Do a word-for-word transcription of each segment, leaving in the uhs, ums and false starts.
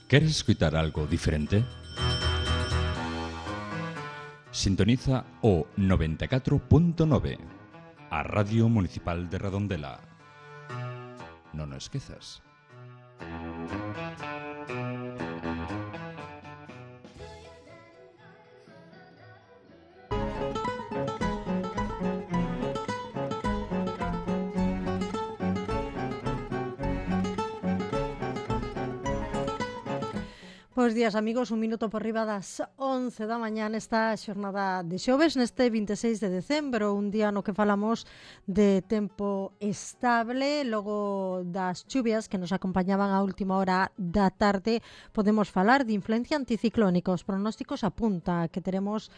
¿Queres escuchar algo diferente? Sintoniza o noventa e catro punto nove, a Radio Municipal de Redondela. Non o esquezas. Bos días, amigos, un minuto por riba das once da mañá nesta xornada de xoves, neste vinte e seis de decembro, un día no que falamos de tempo estable. Logo das chuvias que nos acompañaban a última hora da tarde, podemos falar de influencia anticiclónica. Os pronósticos apunta que teremos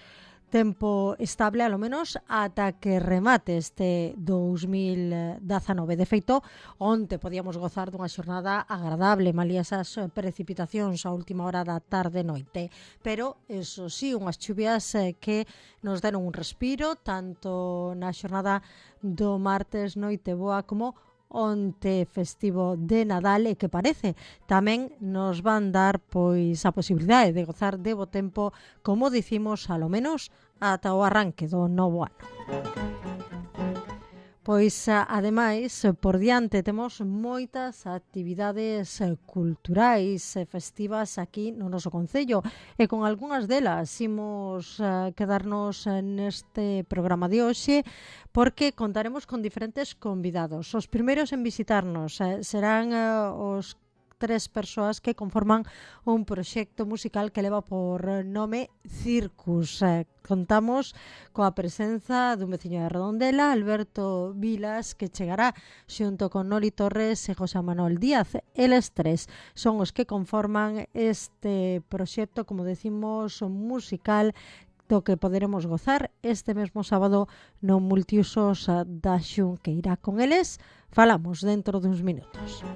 tempo estable, alo menos, ata que remate este dous mil dezanove. De feito, onte podíamos gozar dunha xornada agradable, malia esas precipitacións a última hora da tarde-noite. Pero, eso sí, unhas chuvias que nos deron un respiro, tanto na xornada do martes noite boa como onte festivo de Nadal, e que parece tamén nos van dar pois a posibilidade de gozar de bo tempo, como dicimos, alo menos ata o arranque do novo ano. Pois, ademais, por diante temos moitas actividades culturais e festivas aquí no noso concello, e con algunhas delas imos uh, quedarnos neste programa de hoxe, porque contaremos con diferentes convidados. Os primeiros en visitarnos uh, serán uh, os tres persoas que conforman un proxecto musical que leva por nome Circus. Eh, contamos coa presenza dun veciño de Redondela, Alberto Vilas, que chegará xunto con Noli Torres e José Manuel Díaz. Eles tres son os que conforman este proxecto, como decimos, musical, do que poderemos gozar este mesmo sábado no Multiusos da Xunqueira. Con eles falamos dentro duns minutos.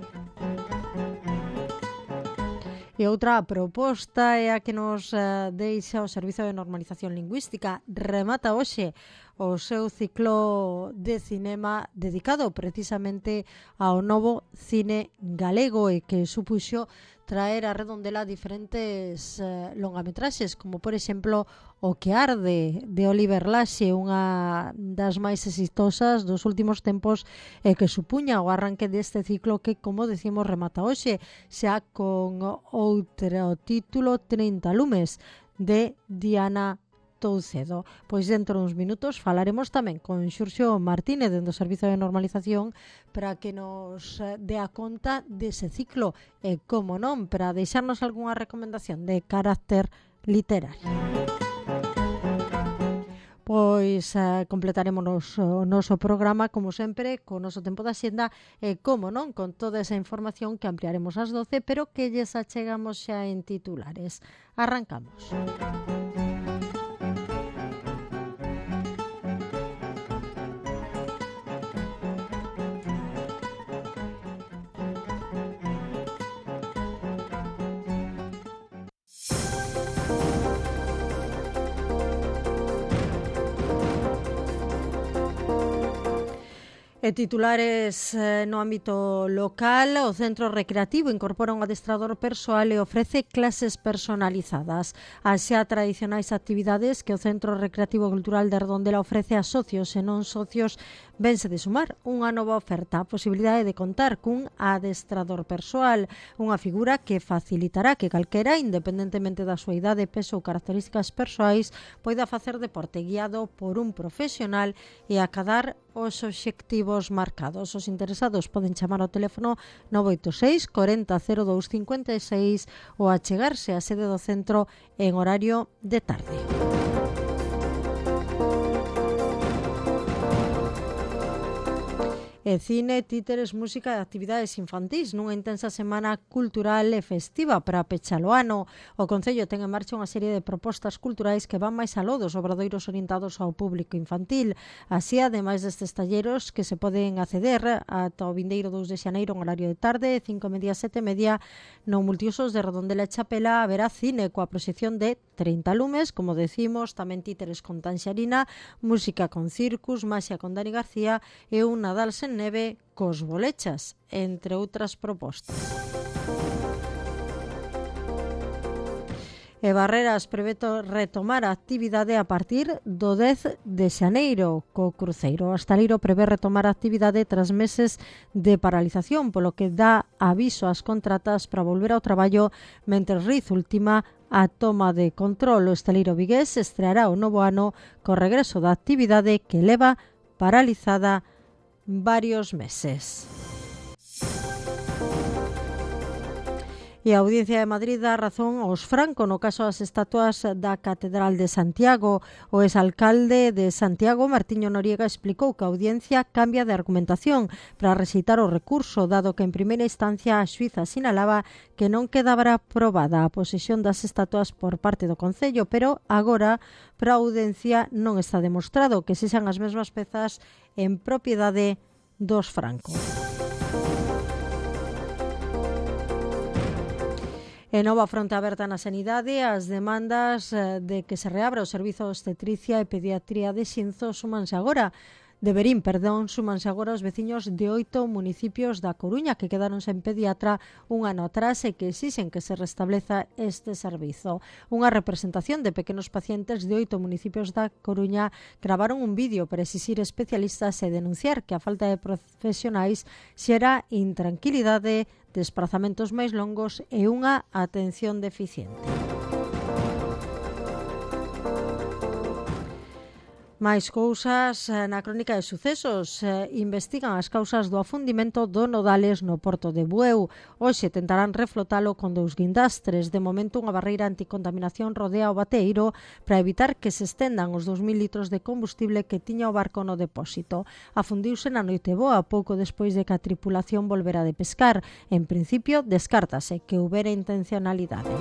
E outra proposta é a que nos uh, deixa o Servizo de Normalización Lingüística. Remata hoxe o seu ciclo de cinema dedicado precisamente ao novo cine galego, e que supuxo traer a Redondela diferentes uh, longametraxes, como por exemplo O que arde, de Oliver Laxe, unha das máis exitosas dos últimos tempos, e que supuña o arranque deste ciclo que, como decimos, remata hoxe, xa con outro título, trinta lumes, de Diana Toucedo. Pois dentro duns minutos falaremos tamén con Xurxo Martínez dentro do Servizo de Normalización para que nos dé a conta dese ciclo e, como non, para deixarnos algunha recomendación de carácter literario. Pois uh, completaremos o noso programa, como sempre, co noso tempo da xenda e, como non, con toda esa información que ampliaremos ás doce, pero que lles achegamos xa en titulares. Arrancamos. E titulares eh, no ámbito local, o Centro Recreativo incorpora un adestrador persoal e ofrece clases personalizadas. As xa tradicionais actividades que o Centro Recreativo Cultural de Redondela ofrece a socios e non socios vense de sumar unha nova oferta, a posibilidade de contar cun adestrador persoal, unha figura que facilitará que calquera, independentemente da súa idade, peso ou características persoais, poida facer deporte guiado por un profesional e acadar os obxectivos marcados. Os interesados poden chamar ao teléfono nove oito seis, corenta, cero dous, cincuenta e seis ou achegarse á sede do centro en horario de tarde. E cine, títeres, música e actividades infantís nunha intensa semana cultural e festiva para pechar o ano. O Concello ten en marcha unha serie de propostas culturais que van máis aló dos obradoiros orientados ao público infantil. Así, ademais destes talleros que se poden acceder ata o vindeiro dous de xaneiro en horario de tarde, cinco e media, sete e media, no Multiusos de Redondela e Chapela haberá cine coa proxección de trinta lumes, como decimos, tamén títeres con Tanxarina, música con Circus, maxia con Dani García e un Nadal sen neve cos bolechas, entre outras propostas. E Barreras prevé retomar a actividade a partir do dez de xaneiro co cruceiro. O hostaleiro prevé retomar a actividade tras meses de paralización, polo que dá aviso ás contratas para volver ao traballo mentres Riz ultima a toma de control. O hostaleiro vigués estreará o novo ano co regreso da actividade que leva paralizada varios meses. E a Audiencia de Madrid dá razón aos Franco no caso das estatuas da Catedral de Santiago. O exalcalde de Santiago, Martiño Noriega, explicou que a Audiencia cambia de argumentación para rexeitar o recurso, dado que en primeira instancia a xuíza sinalaba que non quedaba aprobada a posesión das estatuas por parte do Concello, pero agora para a Audiencia non está demostrado que sexan as mesmas pezas en propiedade dos Franco. E nova fronte aberta na sanidade, as demandas de que se reabra o servizo de obstetricia e pediatría de Xinzo súmanse agora. De Verín, perdón, súmanse agora os veciños de oito municipios da Coruña que quedaron sen pediatra un ano atrás e que exixen que se restableza este servizo. Unha representación de pequenos pacientes de oito municipios da Coruña gravaron un vídeo para exixir especialistas e denunciar que a falta de profesionais xera intranquilidade, desplazamentos máis longos e unha atención deficiente. Máis cousas na crónica de sucesos. Eh, investigan as causas do afundimento do Nodales no porto de Bueu. Hoxe tentarán reflotalo con dous guindastres. De momento, unha barreira anticontaminación rodea o bateeiro para evitar que se estendan os dous mil litros de combustible que tiña o barco no depósito. Afundiuse na Noiteboa pouco despois de que a tripulación volvera de pescar. En principio, descártase que houbera intencionalidade.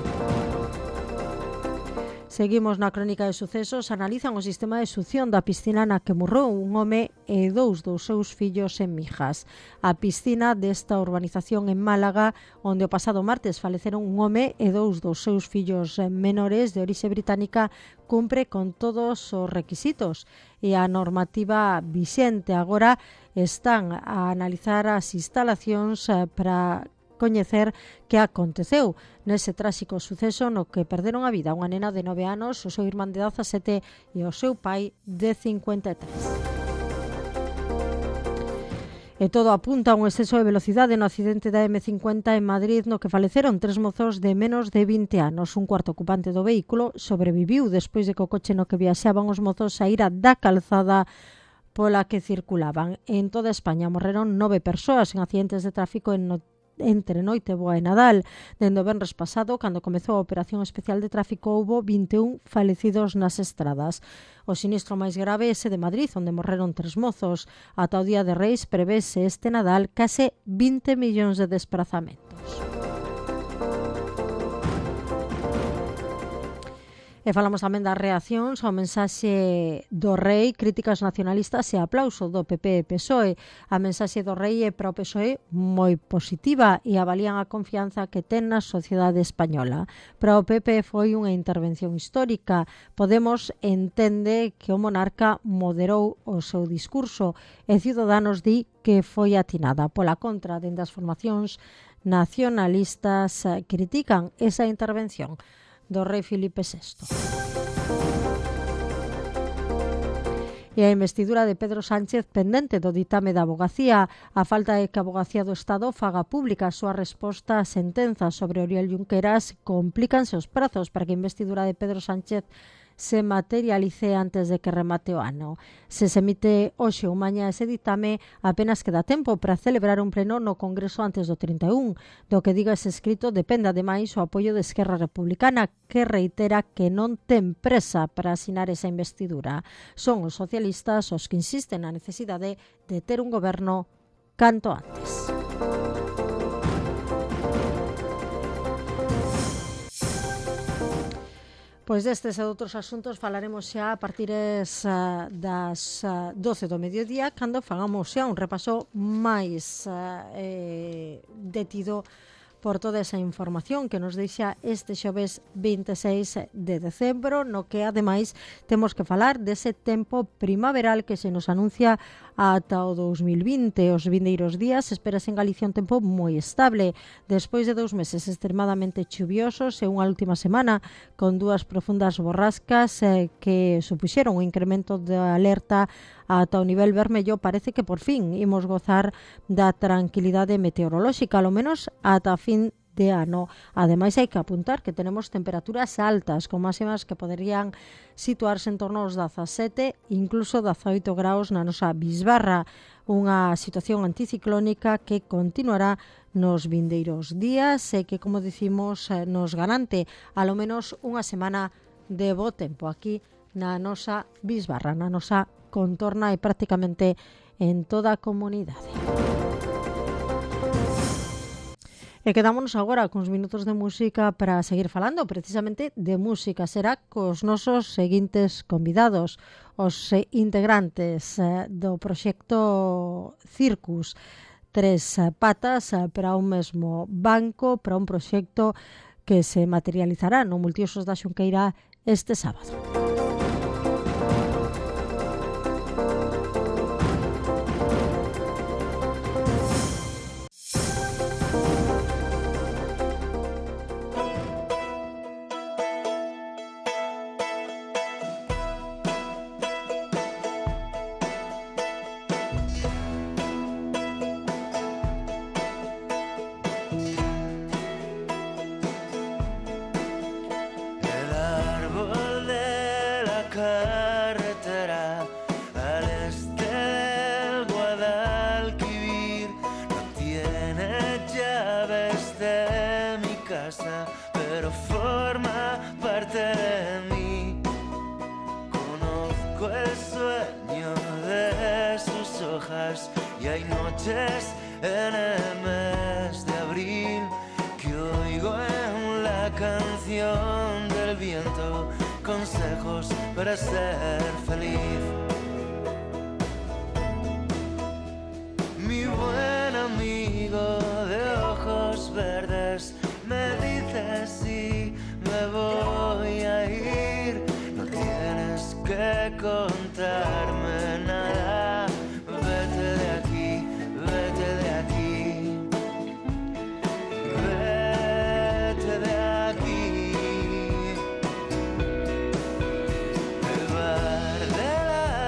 Seguimos na crónica de sucesos. Analizan o sistema de succión da piscina na que morreu un home e dous dos seus fillos en Mijas. A piscina desta urbanización en Málaga, onde o pasado martes faleceron un home e dous dos seus fillos menores de orixe británica, cumpre con todos os requisitos e a normativa vixente. Agora están a analizar as instalacións para coñecer que aconteceu nese tráxico suceso no que perderon a vida unha nena de nove anos, o seu irmán de dezasete e o seu pai de cincuenta e tres. E todo apunta a un exceso de velocidade no accidente da eme cincuenta en Madrid no que faleceron tres mozos de menos de vinte anos. Un cuarto ocupante do vehículo sobreviviu despois de que o coche no que viaxaban os mozos saíra da calzada pola que circulaban. En toda España morreron nove persoas en accidentes de tráfico en no entre Noiteboa e Nadal. Dende o venres pasado, cando comezou a operación especial de tráfico, houbo vinte e un falecidos nas estradas. O sinistro máis grave é ese de Madrid, onde morreron tres mozos. Ata o día de Reis prevese este Nadal case vinte millóns de desplazamentos. E falamos tamén das reaccións ao mensaxe do Rei, críticas nacionalistas e aplauso do P P e P S O E. A mensaxe do Rei é para o P S O E moi positiva e avalían a confianza que ten na sociedade española. Para o P P foi unha intervención histórica. Podemos entende que o monarca moderou o seu discurso e Ciudadanos di que foi atinada. Pola contra, dende as formacións nacionalistas critican esa intervención do rei Filipe sexto. E a investidura de Pedro Sánchez pendente do ditame da Avogacía. A falta de que a Avogacía do Estado faga pública a súa resposta á sentenza sobre Oriol Junqueras, complícanse os prazos para que a investidura de Pedro Sánchez se materialice antes de que remate o ano. Se se emite hoxe ou mañá ese ditame, apenas queda tempo para celebrar un pleno no Congreso antes do trinta e un. Do que diga ese escrito depende ademais o apoio de Esquerra Republicana, que reitera que non ten presa para asinar esa investidura. Son os socialistas os que insisten na necesidade de ter un goberno canto antes. Pois destes e outros asuntos falaremos xa a partir uh, das uh, doce do mediodía, cando fagamos xa un repaso máis uh, eh, detido por toda esa información que nos deixa este xoves vinte e seis de decembro, no que ademais temos que falar dese tempo primaveral que se nos anuncia ata o dous mil vinte. Os vindeiros días esperase en Galicia un tempo moi estable, despois de dous meses extremadamente chuviosos e unha última semana con dúas profundas borrascas eh, que supuxeron un incremento de alerta ata o nivel vermello. Parece que por fin imos gozar da tranquilidade meteorolóxica, ao menos ata a fin de ano. Ademais, hai que apuntar que tenemos temperaturas altas, con máximas que poderían situarse en torno aos dezasete, incluso dezaoito graus na nosa bisbarra, unha situación anticiclónica que continuará nos vindeiros días e que, como dicimos, nos garante alo menos unha semana de bo tempo aquí na nosa bisbarra, na nosa contorna e prácticamente en toda a comunidade. E quedámonos agora cuns minutos de música para seguir falando precisamente de música. Será cos nosos seguintes convidados, os integrantes do proxecto Circus, tres patas para un mesmo banco, para un proxecto que se materializará no Multiusos da Xunqueira este sábado. Y hay noches en el mes de abril que oigo en la canción del viento consejos para ser feliz. Mi buen amigo de ojos verdes me dice si me voy a ir, no tienes que contarme nada. Vete de aquí, vete de aquí, vete de aquí. El bar de la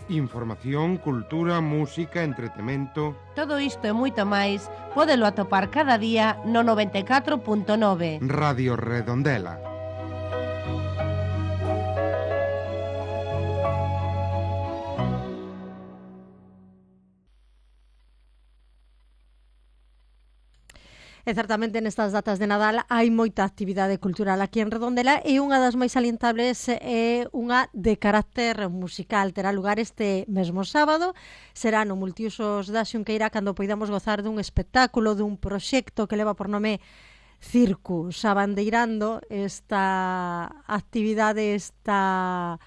Información, cultura, música, entretemento... Todo isto e moito máis pódelo atopar cada día no noventa e catro punto nove. Radio Redondela. E certamente nestas datas de Nadal hai moita actividade cultural aquí en Redondela e unha das máis salientables é unha de carácter musical. Terá lugar este mesmo sábado, será no Multiusos da Xunqueira cando poidamos gozar dun espectáculo, dun proxecto que leva por nome Circus, abandeirando esta actividade, esta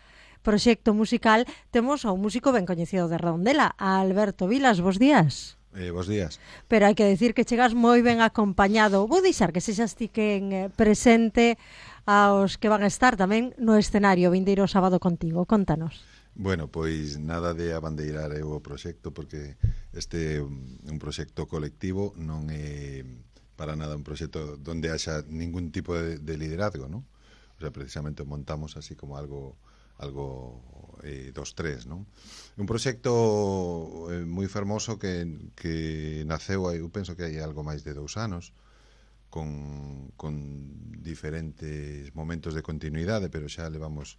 proxecto musical. Temos a un músico ben coñecido de Redondela, a Alberto Vilas. Bos días. Eh, bos días. Pero hai que decir que chegas moi ben acompañado. Vou deixar que sexas ti quen eh, presente aos que van a estar tamén no escenario vindeiro sábado contigo. Contanos. Bueno, pois nada de abandeirar eu o proxecto, porque este é un proxecto colectivo, non é para nada un proxecto donde haxa ningún tipo de, de liderazgo, non? O sea, precisamente montamos así como algo algo eh, dos tres, non? Un proxecto eh, moi fermoso que, que naceu, eu penso que hai algo máis de dous anos, con, con diferentes momentos de continuidade, pero xa levamos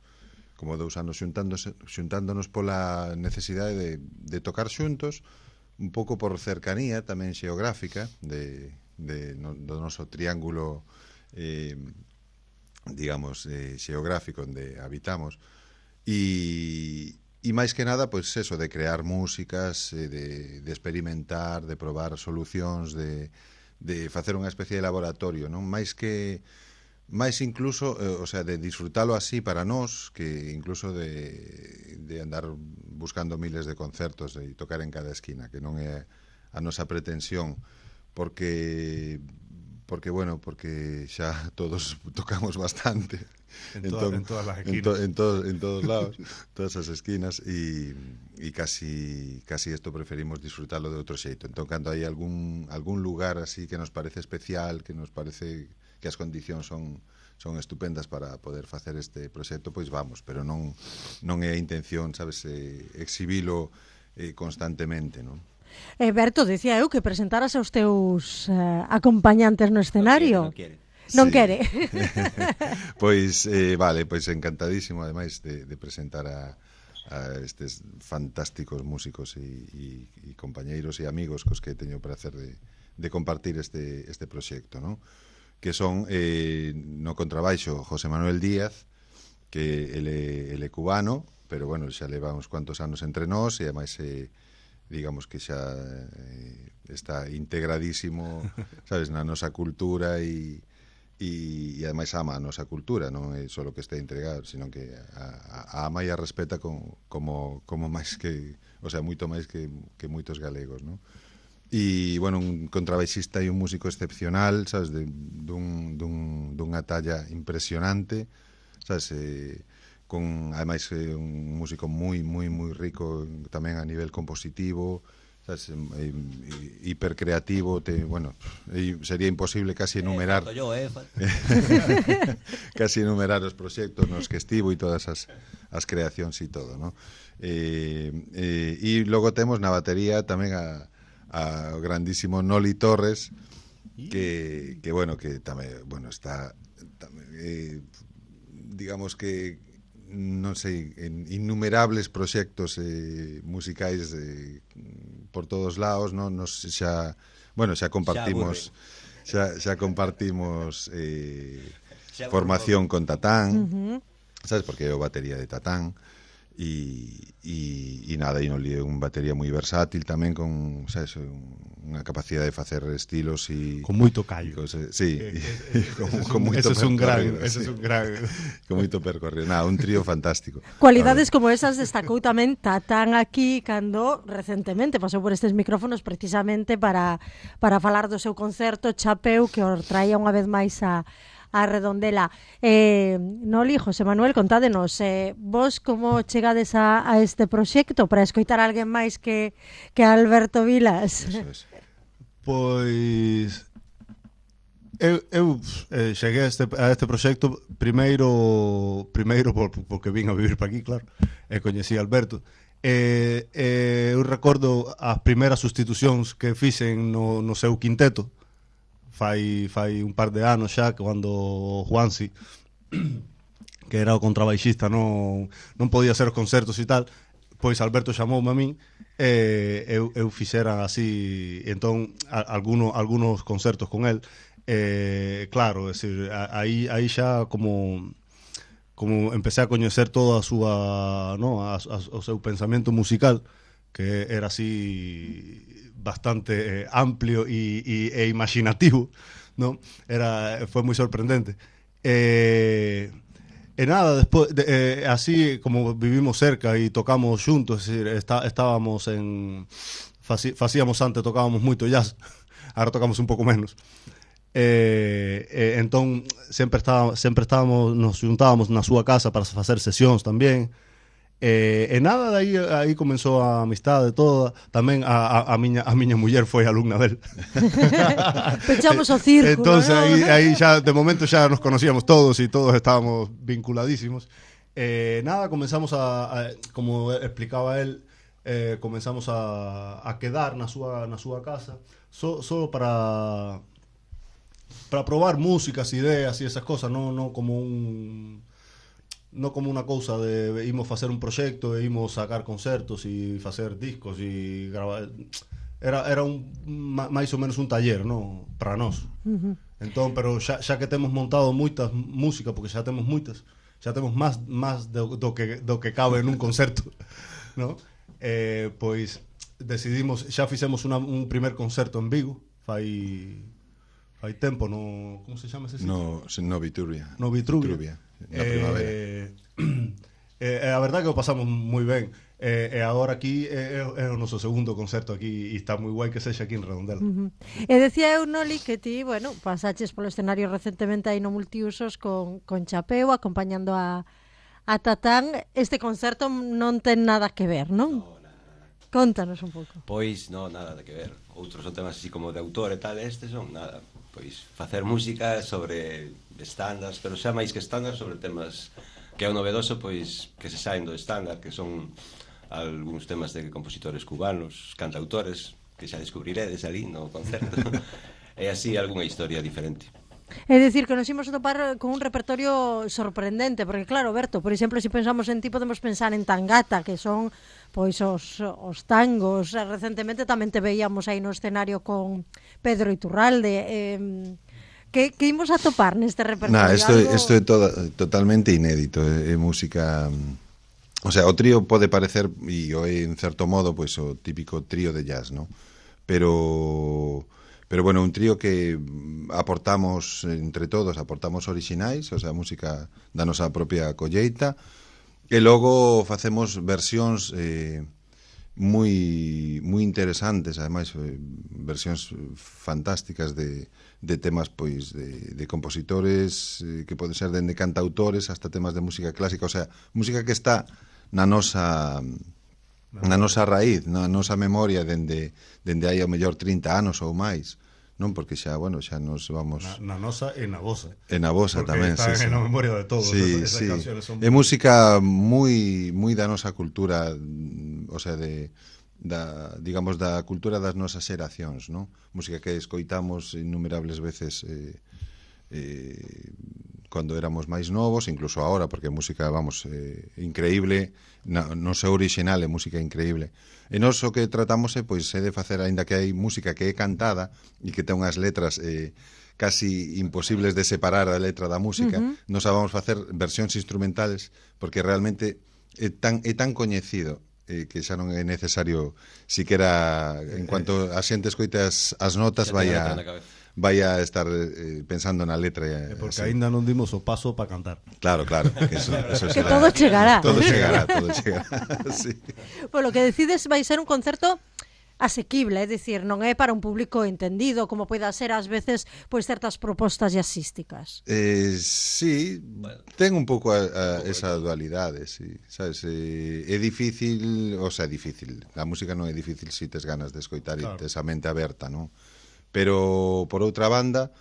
como dous anos xuntándose, xuntándonos pola necesidade de, de tocar xuntos, un pouco por cercanía tamén xeográfica de, de, no, do noso triángulo eh, digamos eh, xeográfico onde habitamos. E, e máis que nada, pois eso, de crear músicas, de, de experimentar, de probar solucións, de, de facer unha especie de laboratorio, non? Máis que, máis incluso, eh, o sea, de disfrutalo así para nós, que incluso de, de andar buscando miles de concertos e tocar en cada esquina, que non é a nosa pretensión, porque... porque, bueno, porque xa todos tocamos bastante en, toda, entón, en todas las esquinas, en, to, en, to, en todos lados, todas as esquinas, e, e casi casi isto preferimos disfrutarlo de outro xeito. Entón, cando hai algún algún lugar así que nos parece especial, que nos parece que as condicións son son estupendas para poder facer este proxecto, pois vamos, pero non non é a intención, sabes, eh, exhibilo eh, constantemente, non? Eh, Berto, decía eu que presentaras aos teus eh, acompañantes no escenario. Non quere, non Sí. quere. Pois, eh, vale, pois encantadísimo, ademais, de, de presentar a, a estes fantásticos músicos e, e, e compañeiros e amigos cos que teño o prazer de, de compartir este, este proxecto, ¿no? Que son, eh, no contrabaixo, José Manuel Díaz, que ele, ele cubano, pero, bueno, xa leva uns cuantos anos entre nós e, ademais, eh, digamos que xa eh, está integradísimo, sabes, na nosa cultura e, e, e ademais ama a nosa cultura, non é só que está integrado, sino que a, a ama e a respeta con, como, como máis que, o sea, moito máis que, que moitos galegos, non? E, bueno, un contrabaixista e un músico excepcional, sabes, de, dun, dun, dunha talla impresionante, sabes, eh, con, ademais, eh, un músico moi, moi, moi rico tamén a nivel compositivo, sabes, eh, hipercreativo, te, bueno, eh, sería imposible casi enumerar eh, yo, eh. casi enumerar os proxectos nos que estivo e todas as, as creacións e todo, ¿no? Eh, eh, e logo temos na batería tamén a, a grandísimo Noli Torres, que, que bueno, que tamén, bueno, está tamén, eh, digamos que non sei, en innumerables proxectos eh, musicais eh, por todos lados, non? Nos xa, bueno, xa compartimos xa, xa compartimos eh, xa formación con Tatán, uh-huh. sabes, porque é o batería de Tatán, e, e, e nada, e non li é un batería moi versátil tamén, con, sabes, unha capacidade de facer estilos e con moito callo. Cose, sí, eh, eh, con, con moito ese é un gran, sí. ese é un gran con moito percorrido. Nada, un trío fantástico. Cualidades como esas destacou tamén Tatán aquí cando recentemente pasou por estes micrófonos precisamente para para falar do seu concerto Chapeu, que os traía unha vez máis a a Redondela. Eh, Noli, José Manuel, contádenos, eh, vos como chegades a, a este proxecto para escoitar a alguén máis que, que Alberto Vilas? Eso es. Pois eu, eu eh, cheguei a este, a este proxecto primeiro primeiro por, porque vin a vivir para aquí, claro, e coñecí a Alberto, E, e eu recordo as primeiras sustitucións que fixen no, no seu quinteto, fai, fai un par de anos xa, cando Juansi, que era o contrabaixista, non, non podía ser os concertos e tal, pois Alberto chamoume a min e eu, eu fixera así, entón, a, alguno, algunos concertos con el. Eh, claro, é dicir, aí, aí xa como como empecé a coñecer toda a súa, no, a, a, o seu pensamento musical, que era así bastante eh, amplio e, e, e imaginativo, no? Era, foi moi sorprendente. Eh, e nada, despois de, eh, así como vivimos cerca e tocamos xuntos, é dicir, está, estábamos en faci, facíamos antes, tocábamos moito jazz, agora tocamos un pouco menos. Eh, eh, entón sempre estaba, sempre estábamos, nos juntábamos na súa casa para facer sesións tamén. Eh, e nada, aí, aí comenzou a amistade toda. Tamén a, a, a, miña, a miña muller foi alumna del. Pechamos o círculo, Entonces ¿no? aí, aí xa, de momento xa nos conocíamos todos e todos estábamos vinculadísimos. Eh, nada, comenzamos a, a como explicaba él, eh, comenzamos a, a quedar na súa, na súa casa só so, so para para probar músicas, ideas e esas cosas, no, no como un no como unha cousa de imos facer un proxecto e imos sacar concertos e facer discos e gravar. Era, era un, máis ou menos un taller, no, para nós. Uh-huh. Entón, pero xa, xa que temos montado moitas música, porque xa temos moitas, xa temos máis máis do, do que do que cabe nun concerto, no? Eh, pois decidimos, xa fixemos una, un primer concerto en Vigo, fai Hai tempo, no... Como se chama ese sitio? No, no Vitruvia. No Vitruvia. Vitruvia, na primavera. Eh, eh, a verdade que o pasamos moi ben. E eh, eh, agora aquí é, é o noso segundo concerto aquí e está moi guai que sexa aquí en Redondela. Uh-huh. E decía eu, Noli, que ti, bueno, pasaches polo escenario recentemente aí no Multiusos con, con Chapeu, acompañando a, a Tatán. Este concerto non ten nada que ver, non? No, nada, nada. Contanos un pouco. Pois, no, nada que ver. Outros son temas así como de autor e tal, estes son nada. Pois facer música sobre estándares, pero xa máis que estándares sobre temas que é o novedoso, pois que se saen do estándar, que son algúns temas de compositores cubanos, cantautores, que xa descubriredes ali no concerto. E así algunha historia diferente. É dicir, que nos imos topar con un repertorio sorprendente, porque claro, Berto, por exemplo, se si pensamos en ti, podemos pensar en Tangata, que son pois os, os tangos. Recentemente tamén te veíamos aí no escenario con Pedro Iturralde. Eh, que, que imos a topar neste repertorio? Nah, isto, Algo... isto é toda, totalmente inédito, é, é música... O sea, o trío pode parecer, e o é en certo modo, pois o típico trío de jazz, ¿no? Pero... Pero bueno, un trío que aportamos entre todos, aportamos orixinais, o sea, música da nosa propia colleita, e logo facemos versións eh, moi moi interesantes, ademais eh, versións fantásticas de, de temas pois de, de compositores eh, que poden ser dende cantautores hasta temas de música clásica, o sea, música que está na nosa na nosa raíz, na nosa memoria dende dende hai ao mellor trinta anos ou máis. Non, porque xa, bueno, xa nos vamos... Na, na nosa e na vosa. E na vosa tamén, sí, sí. En a memoria de todos. Sí, esas, sí. esas canciones son... É música moi moi da nosa cultura, o sea, de da, digamos, da cultura das nosas xeracións, non? Música que escoitamos innumerables veces eh, eh, cando éramos máis novos, incluso ahora, porque a música, vamos, eh, increíble, na, no seu original é música increíble. E nós o que tratamos é, pois, é de facer, aínda que hai música que é cantada e que ten unhas letras eh, casi imposibles de separar a letra da música, uh-huh. Nos vamos facer versións instrumentales, porque realmente é tan, é tan coñecido eh, que xa non é necesario siquera, en cuanto a xente escoite as, as notas, vai a... vai a estar eh, pensando na letra. Eh, porque aínda non dimos o paso para cantar. Claro, claro. Que, eso, eso que todo chegará. Todo chegará, todo chegará. Sí. Bueno, que decides vai ser un concerto asequible, é dicir, non é para un público entendido, como poida ser ás veces pois certas propostas jazzísticas. Eh, sí, bueno, ten un pouco a, a un pouco esa dualidade, sí, sabes, eh, é difícil, o sea, é difícil. A música non é difícil se si tes ganas de escoitar claro. E tes a mente aberta, non? Pero, por outra banda,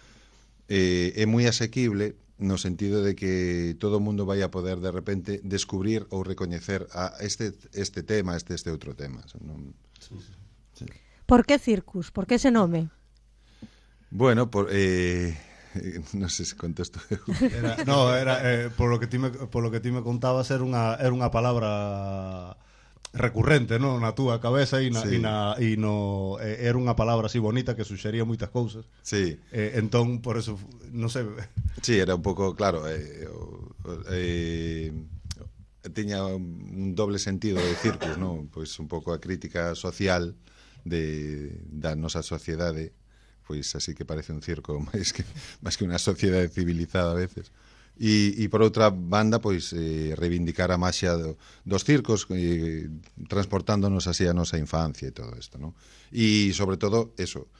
eh, é moi asequible no sentido de que todo o mundo vai a poder de repente descubrir ou recoñecer a este este tema, este este outro tema. Non... Sí, sí. Sí. Por que Circus? Por que ese nome? Bueno, por eh non sei se contesto eu. Era, no, era eh, por lo que ti me por lo que ti me contabas era unha era unha palabra recurrente, no, na túa cabeza e na sí. e na e no eh, era unha palabra así bonita que suxería moitas cousas. Sí. Eh, entón por eso non sei. Sí, era un pouco claro, eh, eh, tiña un doble sentido de Circus, no? Pois un pouco a crítica social de da nosa sociedade. Pois así que parece un circo máis que máis que unha sociedade civilizada a veces. E, e por outra banda, pois eh, reivindicar a maxia do, dos circos, eh, transportándonos así a nosa infancia e todo isto, ¿no? E sobre todo eso,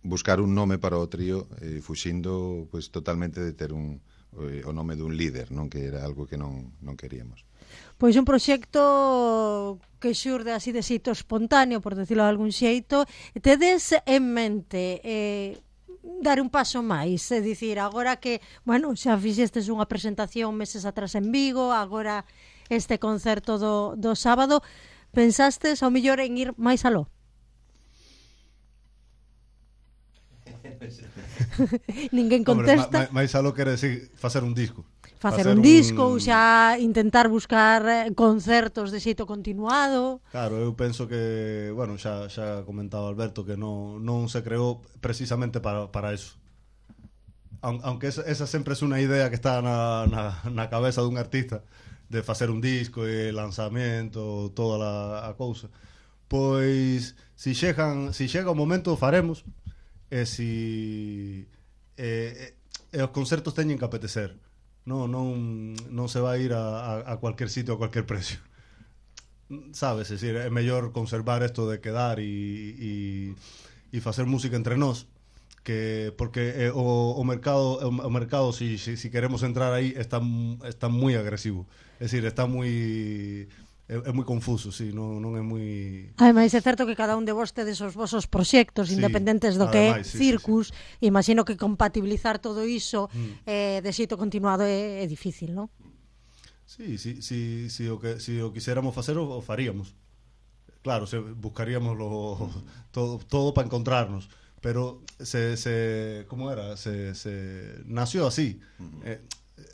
buscar un nome para o trío, eh, fuxindo pois totalmente de ter un eh, o nome dun líder, non, que era algo que non non queríamos. Pois un proxecto que xurde así de xeito espontáneo, por decirlo de algún xeito. Tedes en mente eh, dar un paso máis, é dicir, agora que, bueno, xa fixestes unha presentación meses atrás en Vigo, agora este concerto do, do sábado, pensastes ao mellor en ir máis aló? Ninguén contesta. Hombre, máis aló quere decir facer un disco. Facer un disco ou xa intentar buscar concertos de xeito continuado. Claro, eu penso que, bueno, xa xa comentaba Alberto que non non se creou precisamente para para eso. Aunque esa, esa sempre é unha idea que está na, na, na cabeza dun artista de facer un disco e lanzamento, toda a, a cousa. Pois si chegan, si chega o momento faremos e si e, e os concertos teñen que apetecer. Non, non, non se vai ir a, a, a cualquier sitio a cualquier precio. Sabes, é dicir, é mellor conservar isto de quedar e, e, e facer música entre nós, que porque eh, o, o mercado o mercado si, si, si queremos entrar aí está está moi agresivo. É dicir, está moi é, é moi confuso, si, sí, non, non é moi... Ademais, é certo que cada un de vos tedes os vosos proxectos, sí, independentes do que é sí, Circus, sí, sí. Imagino que compatibilizar todo iso mm. eh, de xeito continuado é, é difícil, non? Sí, sí, sí, sí, o que, si o quiséramos facer o, o faríamos. Claro, se buscaríamos lo, todo, todo para encontrarnos, pero se, se como era, se, se nació así. Mm. Eh,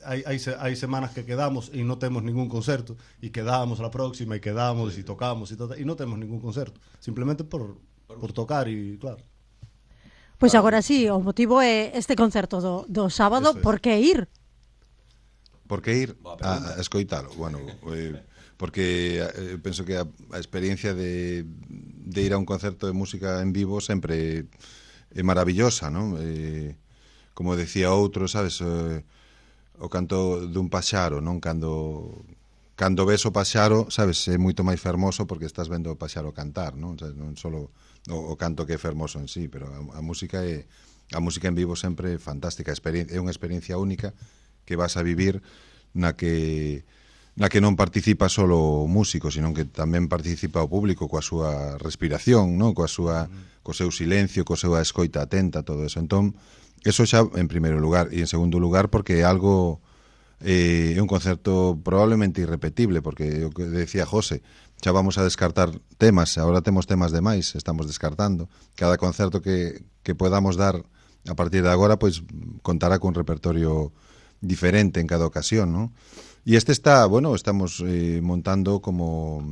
Hai, hai, hai semanas que quedamos e non temos ningún concerto e quedamos a la próxima e quedamos e tocamos e, todo, e non temos ningún concerto simplemente por, por tocar e claro. Pois pues agora sí, o motivo é este concerto do, do sábado. Por que ir? Por que ir a, a escoitalo? Bueno, eh, porque eh, penso que a, a experiencia de, de ir a un concerto de música en vivo sempre é maravillosa, non? Eh, como decía outro, sabes, eh, o canto dun paxaro, non? Cando cando ves o paxaro, sabes, é moito máis fermoso porque estás vendo o paxaro cantar, non? O sea, non solo o, o canto que é fermoso en sí, pero a, a música é a música en vivo sempre é fantástica, é unha experiencia única que vas a vivir na que na que non participa solo o músico, sino que tamén participa o público coa súa respiración, non? Coa súa co seu silencio, coa súa escoita atenta, todo eso. Entón, eso xa en primeiro lugar, e en segundo lugar porque é algo eh, é un concerto probablemente irrepetible, porque o que decía José, xa vamos a descartar temas, agora temos temas de máis, estamos descartando. Cada concerto que, que podamos dar a partir de agora, pois contará con un repertorio diferente en cada ocasión, ¿no? E este está, bueno, estamos eh, montando como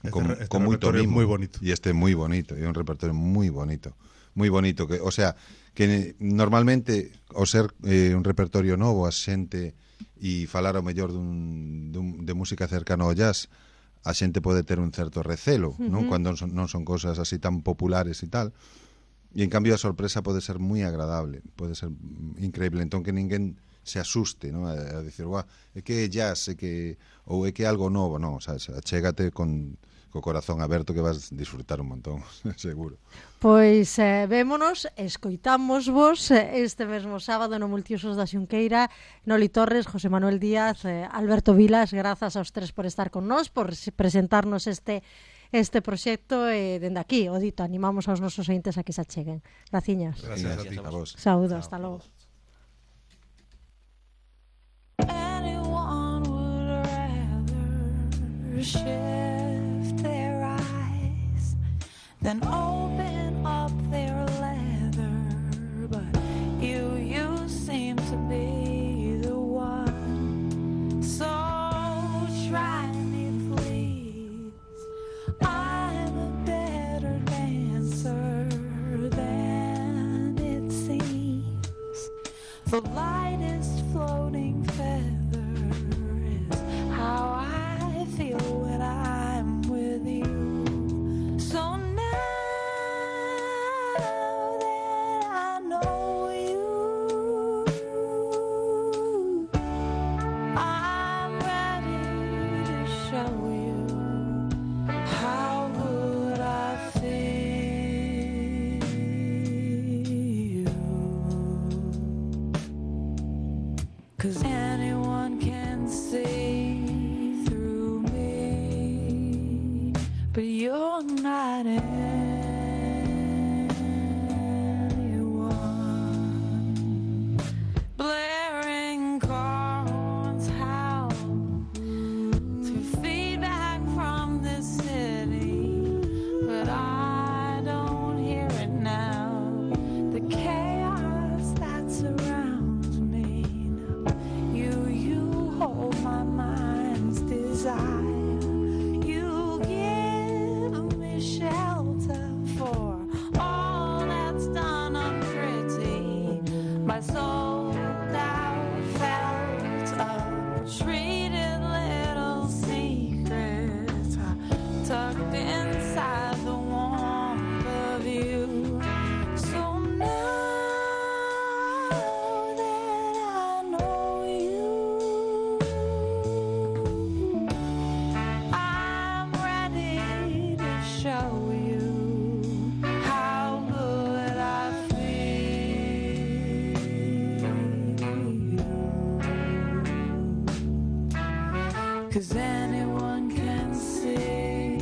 con, este, este con moito mimo, moi bonito. E este é moi bonito, é un repertorio moi bonito, moi bonito, que, o sea, que normalmente ao ser eh, un repertorio novo a xente e falar ao mellor dun, dun, de música cercana ao jazz, a xente pode ter un certo recelo, uh-huh. non? Cando non son, non son cousas así tan populares e tal, e en cambio a sorpresa pode ser moi agradable, pode ser increíble, entón que ninguén se asuste, non? A, a dicir, "Guau, é que é jazz, é que ou é que é algo novo", non, o sea, achégate con co corazón aberto que vas disfrutar un montón, seguro. Pois eh, vémonos, escoitamos vos este mesmo sábado no Multiusos da Xunqueira, Noli Torres, José Manuel Díaz, eh, Alberto Vilas, grazas aos tres por estar con nós, por presentarnos este este proxecto e eh, dende aquí, o dito, animamos aos nosos ointes a que se acheguen. Graciñas. Gracias, Gracias a ti, a vos. Saúdo, hasta logo. shift their eyes, then open up their leather. But you, you seem to be the one. So try me, please. I'm a better dancer than it seems. The lightest floating feather is how I feel when I'm with you. So now that I know you, I'm ready to show you how good I feel. 'Cause anyone can see through me, but you're not anyone. Blaring horns howl through feedback from the city, but I don't hear it now. The chaos that surrounds me now. You, you hold my mind's desire. You give me shelter for all that's done unpretty. My soul out felt a treated little secret tucked inside the warmth of you. So now that I know you, I'm ready to show you how good I feel. 'Cause anyone can see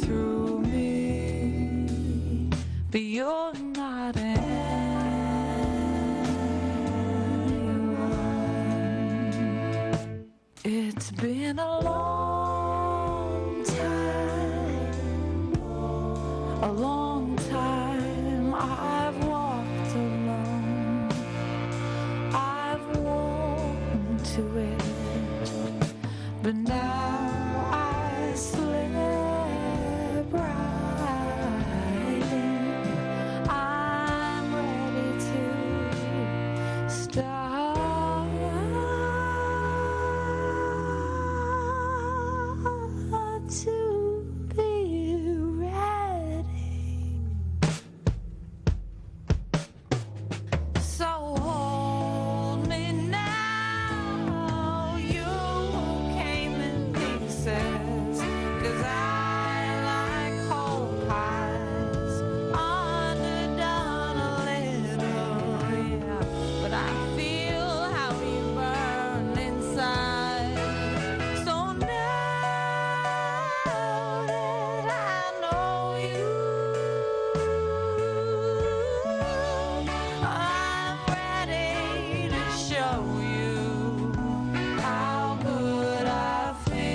through me, but you're not anyone. It's been a long time, a long time I've walked alone. I've worn to it, but now I slip right in. I'm ready to start to be ready. So hold me now. You came in pieces, 'cause I like whole pies, underdone a little, yeah. But I feel how you burn inside. So now that I know you, I'm ready to show you how good I feel.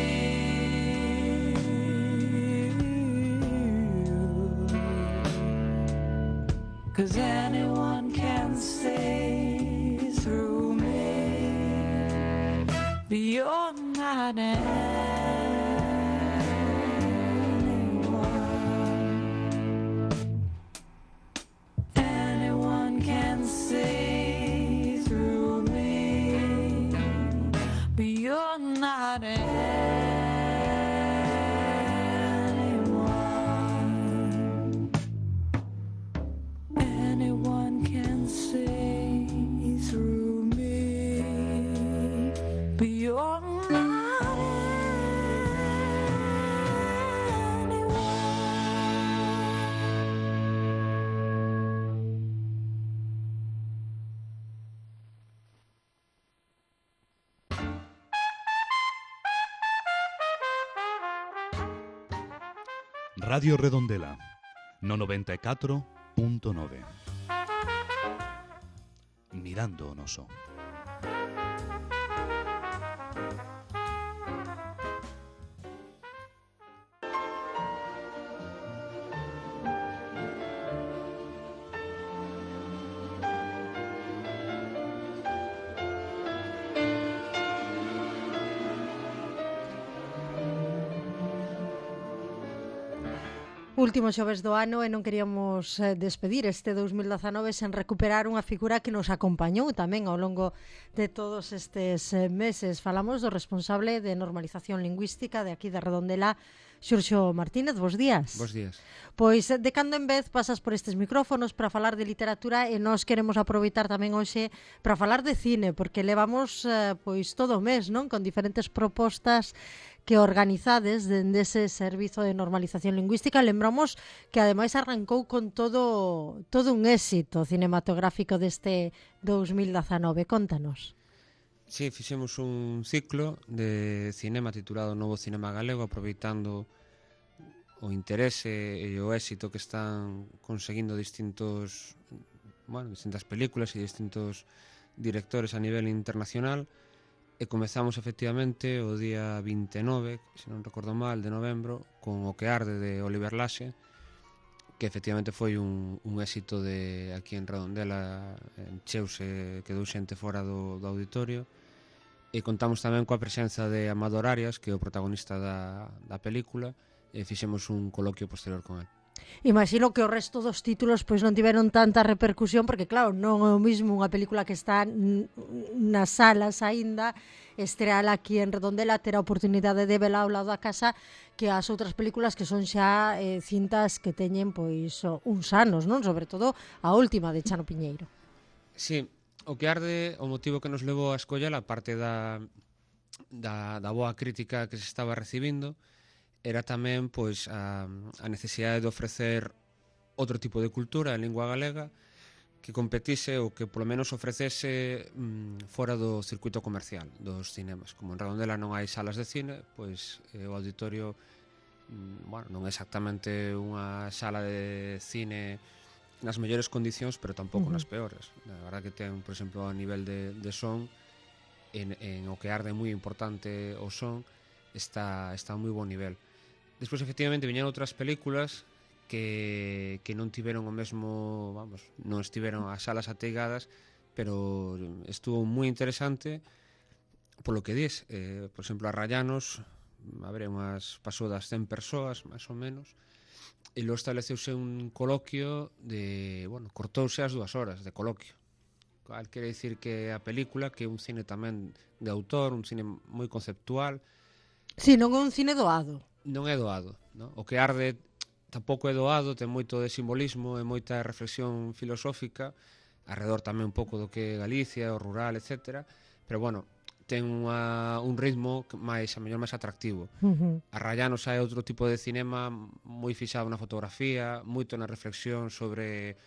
'Cause anyone can see through me, but you're not anyone. Anyone can see through me, but you're not anyone. Anyone can see through me, but you're not Radio Redondela, no noventa e catro punto nove. Mirando o noso. Último xoves do ano e non queríamos eh, despedir este dous mil dezanove sen recuperar unha figura que nos acompañou tamén ao longo de todos estes eh, meses. Falamos do responsable de normalización lingüística de aquí de Redondela, Xurxo Martínez. Bos días. Bos días. Pois eh, de cando en vez pasas por estes micrófonos para falar de literatura e nós queremos aproveitar tamén hoxe para falar de cine, porque levamos eh, pois todo o mes, non? Con diferentes propostas que organizades dende ese servizo de normalización lingüística. Lembramos que ademais arrancou con todo todo un éxito cinematográfico deste dous mil dezanove. Contanos. Sí, fixemos un ciclo de cinema titulado Novo Cinema Galego, aproveitando o interese e o éxito que están conseguindo distintos, bueno, distintas películas e distintos directores a nivel internacional. E comezamos efectivamente o día vinte e nove, se non recordo mal, de novembro, con O que arde de Oliver Laxe, que efectivamente foi un, un éxito de aquí en Redondela, encheuse, quedou xente fora do, do auditorio. E contamos tamén coa presenza de Amador Arias, que é o protagonista da, da película, e fixemos un coloquio posterior con el. Imagino que o resto dos títulos pois non tiveron tanta repercusión, porque claro, non é o mismo unha película que está nas salas aínda, estreala aquí en Redondela, ter a oportunidade de vela ao lado da casa, que as outras películas que son xa eh, cintas que teñen pois uns anos, non? Sobre todo a última de Chano Piñeiro. Sí, O que arde, o motivo que nos levou a escoller, a parte da, da, da boa crítica que se estaba recibindo, era tamén pois a, a necesidade de ofrecer outro tipo de cultura en lingua galega que competise ou que polo menos ofrecese mm, fora do circuito comercial dos cinemas. Como en Redondela non hai salas de cine, pois eh, o auditorio mm, bueno, non é exactamente unha sala de cine nas mellores condicións, pero tampouco uh-huh. nas peores. A verdad que ten, por exemplo, a nivel de, de son, en, en O que arde moi importante o son, está, está a moi bon nivel. Despois, efectivamente, viñeron outras películas que, que non tiveron o mesmo, vamos, non estiveron as salas ateigadas, pero estuvo moi interesante polo que dis. Eh, por exemplo, a Rayanos, a ver, unhas pasou das cen persoas, máis ou menos, e logo estableceuse un coloquio de, bueno, cortouse as dúas horas de coloquio. Cal quere dicir que a película, que é un cine tamén de autor, un cine moi conceptual. Si, non é un cine doado. Non é doado, no? O que arde tampouco é doado, ten moito de simbolismo e moita reflexión filosófica, alrededor tamén un pouco do que é Galicia, o rural, etcétera, pero bueno, ten unha, un ritmo máis, a mellor máis atractivo. Uh-huh. A Rayanos hai outro tipo de cinema moi fixado na fotografía, moito na reflexión sobre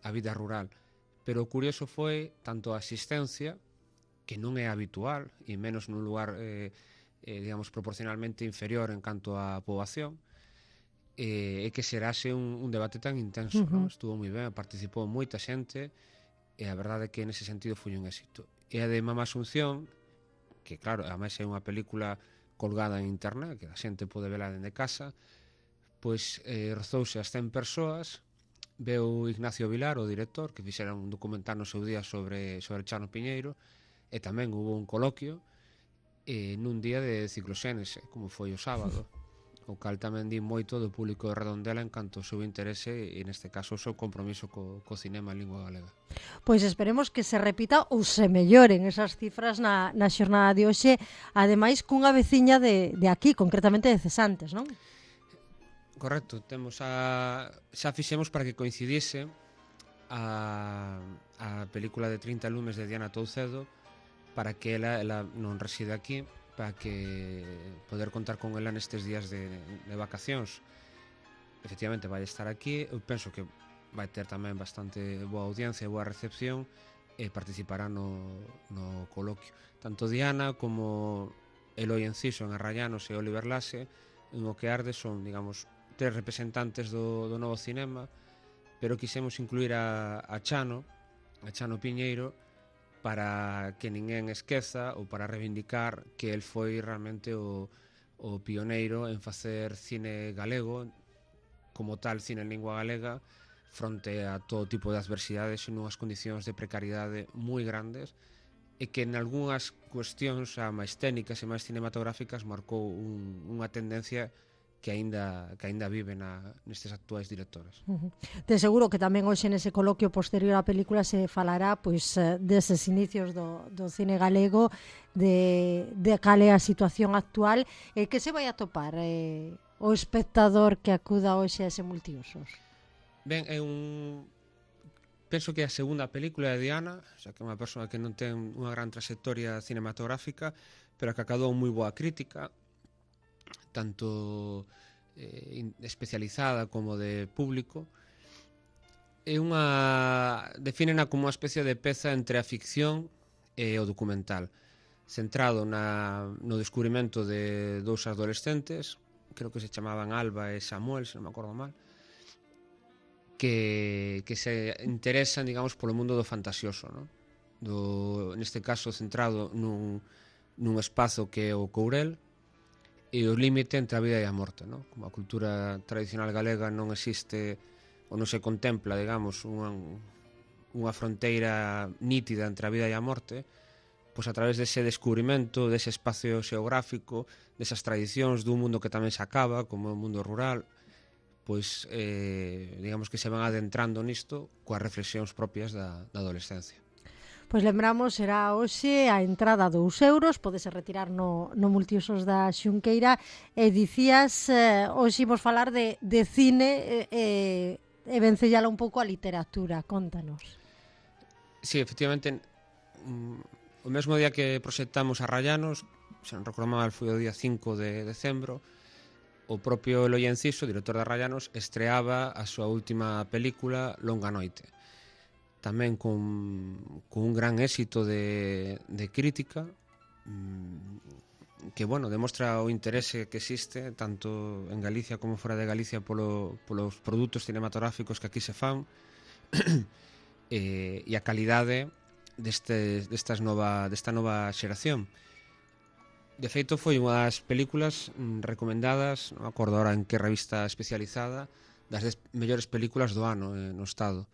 a vida rural, pero o curioso foi tanto a asistencia, que non é habitual, e menos nun lugar eh, eh, digamos, proporcionalmente inferior en canto á poboación, e eh, que serase un, un debate tan intenso, uh-huh. ¿no? Estuvo moi ben, participou moita xente, e a verdade é que nese sentido foi un éxito. E a de Mama Asunción, que claro, ademais é unha película colgada en internet, que a xente pode vela dende casa, pois eh, rozouse as cen persoas, veu Ignacio Vilar, o director, que fixera un documental no seu día sobre, sobre Chano Piñeiro, e tamén hubo un coloquio, e nun día de cicloxénese, como foi o sábado, o cal tamén di moito do público de Redondela en canto ao seu interese e neste caso o seu compromiso co, co cinema en lingua galega. Pois esperemos que se repita ou se melloren esas cifras na, na xornada de hoxe, ademais cunha veciña de, de aquí, concretamente de Cesantes, non? Correcto, temos a, xa fixemos para que coincidise a, a película de trinta lumes de Diana Toucedo, para que ela, ela non reside aquí, para que poder contar con ela nestes días de, de vacacións. Efectivamente vai estar aquí, eu penso que vai ter tamén bastante boa audiencia, boa recepción, e participará no, no coloquio. Tanto Diana como Eloi Enciso en Arrayanos e Oliver Laxe en O que arde son, digamos, tres representantes do, do novo cinema, pero quixemos incluir a, a Chano, a Chano Piñeiro, para que ninguén esqueza ou para reivindicar que el foi realmente o, o pioneiro en facer cine galego, como tal cine en lingua galega, fronte a todo tipo de adversidades e nunhas condicións de precariedade moi grandes, e que en algunhas cuestións a máis técnicas e máis cinematográficas marcou un, unha tendencia que aínda que aínda vive na, nestes actuais directores. Uh -huh. De seguro que tamén hoxe nese coloquio posterior á película se falará pois deses inicios do, do cine galego, de, de cal é a situación actual, e que se vai a topar eh, o espectador que acuda hoxe a ese multiusos. Ben, é un... penso que é a segunda película de Diana, xa que é unha persoa que non ten unha gran trayectoria cinematográfica, pero que acadou moi boa crítica, tanto eh, especializada como de público. É unha... defínena como unha especie de peza entre a ficción e o documental, centrado na, no descubrimento de dous adolescentes, creo que se chamaban Alba e Samuel, se non me acordo mal, que, que se interesan, digamos, polo mundo do fantasioso, ¿no? Do, neste caso centrado nun, nun espazo que é o Courel e o límite entre a vida e a morte, ¿no? Como a cultura tradicional galega non existe ou non se contempla, digamos, unha, unha fronteira nítida entre a vida e a morte, pois a través dese descubrimento, dese espacio xeográfico, desas tradicións dun mundo que tamén se acaba, como o mundo rural, pois, eh, digamos que se van adentrando nisto coas reflexións propias da, da adolescencia. Pois lembramos, será hoxe a entrada dous euros, podese retirar no, no multiusos da Xunqueira, e dicías, eh, hoxe imos falar de, de cine e, e vencellala un pouco a literatura, contanos. Sí, efectivamente, o mesmo día que proxectamos a Rayanos, se non recordo mal, foi o día cinco de decembro, o propio Eloi Enciso, director de Rayanos, estreaba a súa última película, Longa Noite. Tamén con, con un gran éxito de, de crítica, que, bueno, demostra o interese que existe tanto en Galicia como fora de Galicia polo, polos produtos cinematográficos que aquí se fan e, e a calidade deste, destas nova, desta nova xeración. De feito, foi unhas películas recomendadas, non me acordo ahora en que revista especializada, das dez mellores películas do ano eh, no Estado,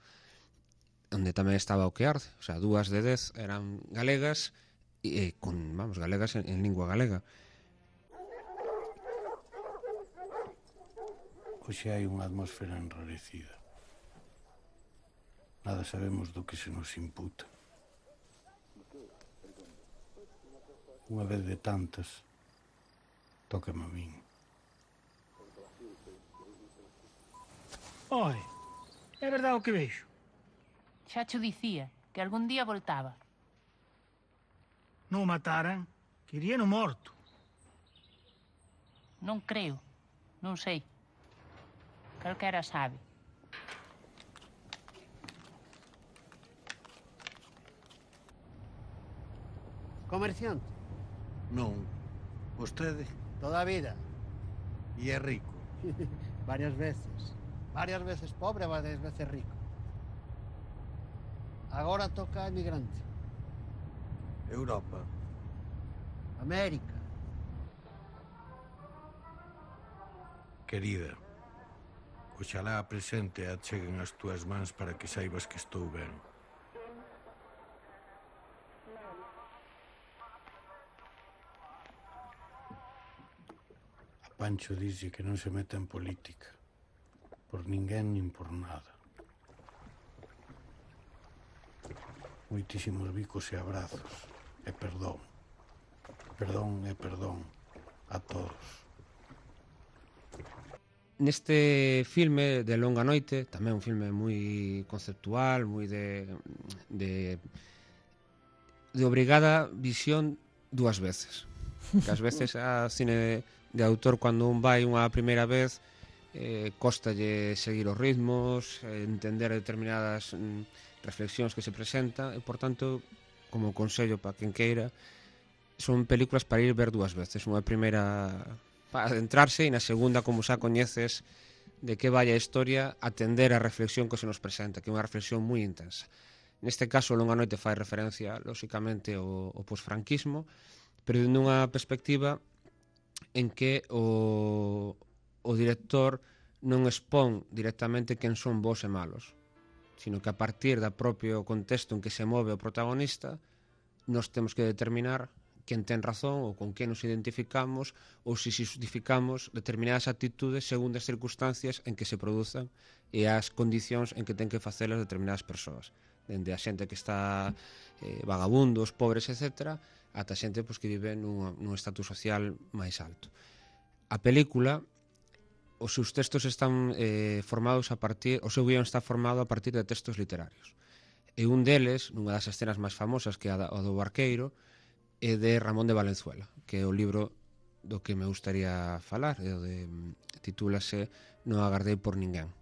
onde tamén estaba O que arde, o sea, dúas de dez eran galegas, e eh, con, vamos, galegas en, en lingua galega. Hoxe hai unha atmosfera enrarecida. Nada sabemos do que se nos imputa. Unha vez de tantas, tócame a min. Oi, é verdade o que vexo? Xa cho dicía, que algún día voltaba. Non o mataran, que iría no morto. Non creo, non sei. Calquera sabe. Comerciante? Non. Vostede? Toda a vida. E é rico? Varias veces. Varias veces pobre, varias veces rico. Agora toca emigrante. Europa. América. Querida, oxalá a presente acheguen as túas mans para que saibas que estou ben. A Pancho dixe que non se meta en política, por ninguén nin por nada. Moitísimos bicos e abrazos, e perdón. Perdón e perdón a todos. Neste filme de Longa Noite, tamén un filme moi conceptual, moi de, de de obrigada visión dúas veces. Que ás veces a cine de, de autor, cando un vai unha primeira vez, eh, costalle seguir os ritmos, eh, entender determinadas mm, reflexións que se presentan, e, por tanto, como consello para quen queira, son películas para ir ver dúas veces. Unha primeira para adentrarse, e na segunda, como xa coñeces de que vai a historia, atender a reflexión que se nos presenta, que é unha reflexión moi intensa. Neste caso, Longa Noite fai referencia, lóxicamente, ao, ao posfranquismo, pero nunha perspectiva en que o, o director non expón directamente quen son bons e malos, sino que a partir do propio contexto en que se move o protagonista, nós temos que determinar quen ten razón ou con quen nos identificamos ou se justificamos determinadas actitudes según as circunstancias en que se produzan e as condicións en que ten que facelas determinadas persoas, dende a xente que está eh, vagabundos, pobres, etcétera, ata xente pois, que vive nun, nun estatus social máis alto. A película, os seus textos están eh, formados a partir, o seu guión está formado a partir de textos literarios. E un deles, nunha das escenas máis famosas, que é a do barqueiro, é de Ramón de Valenzuela, que é o libro do que me gustaría falar, é o de, titúlase Non agardei por ninguén.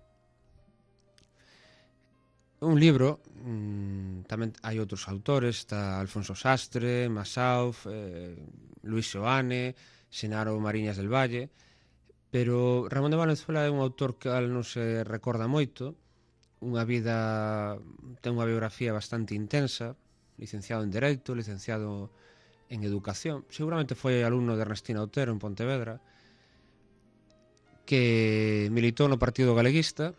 Un libro, mmm, tamén hai outros autores, está Alfonso Sastre, Masauf, eh, Luis Seoane, Xenaro Mariñas del Valle, pero Ramón de Valenzuela é un autor que non se recorda moito, unha vida, ten unha biografía bastante intensa, licenciado en Dereito, licenciado en Educación, seguramente foi alumno de Ernestina Otero en Pontevedra, que militou no Partido Galeguista,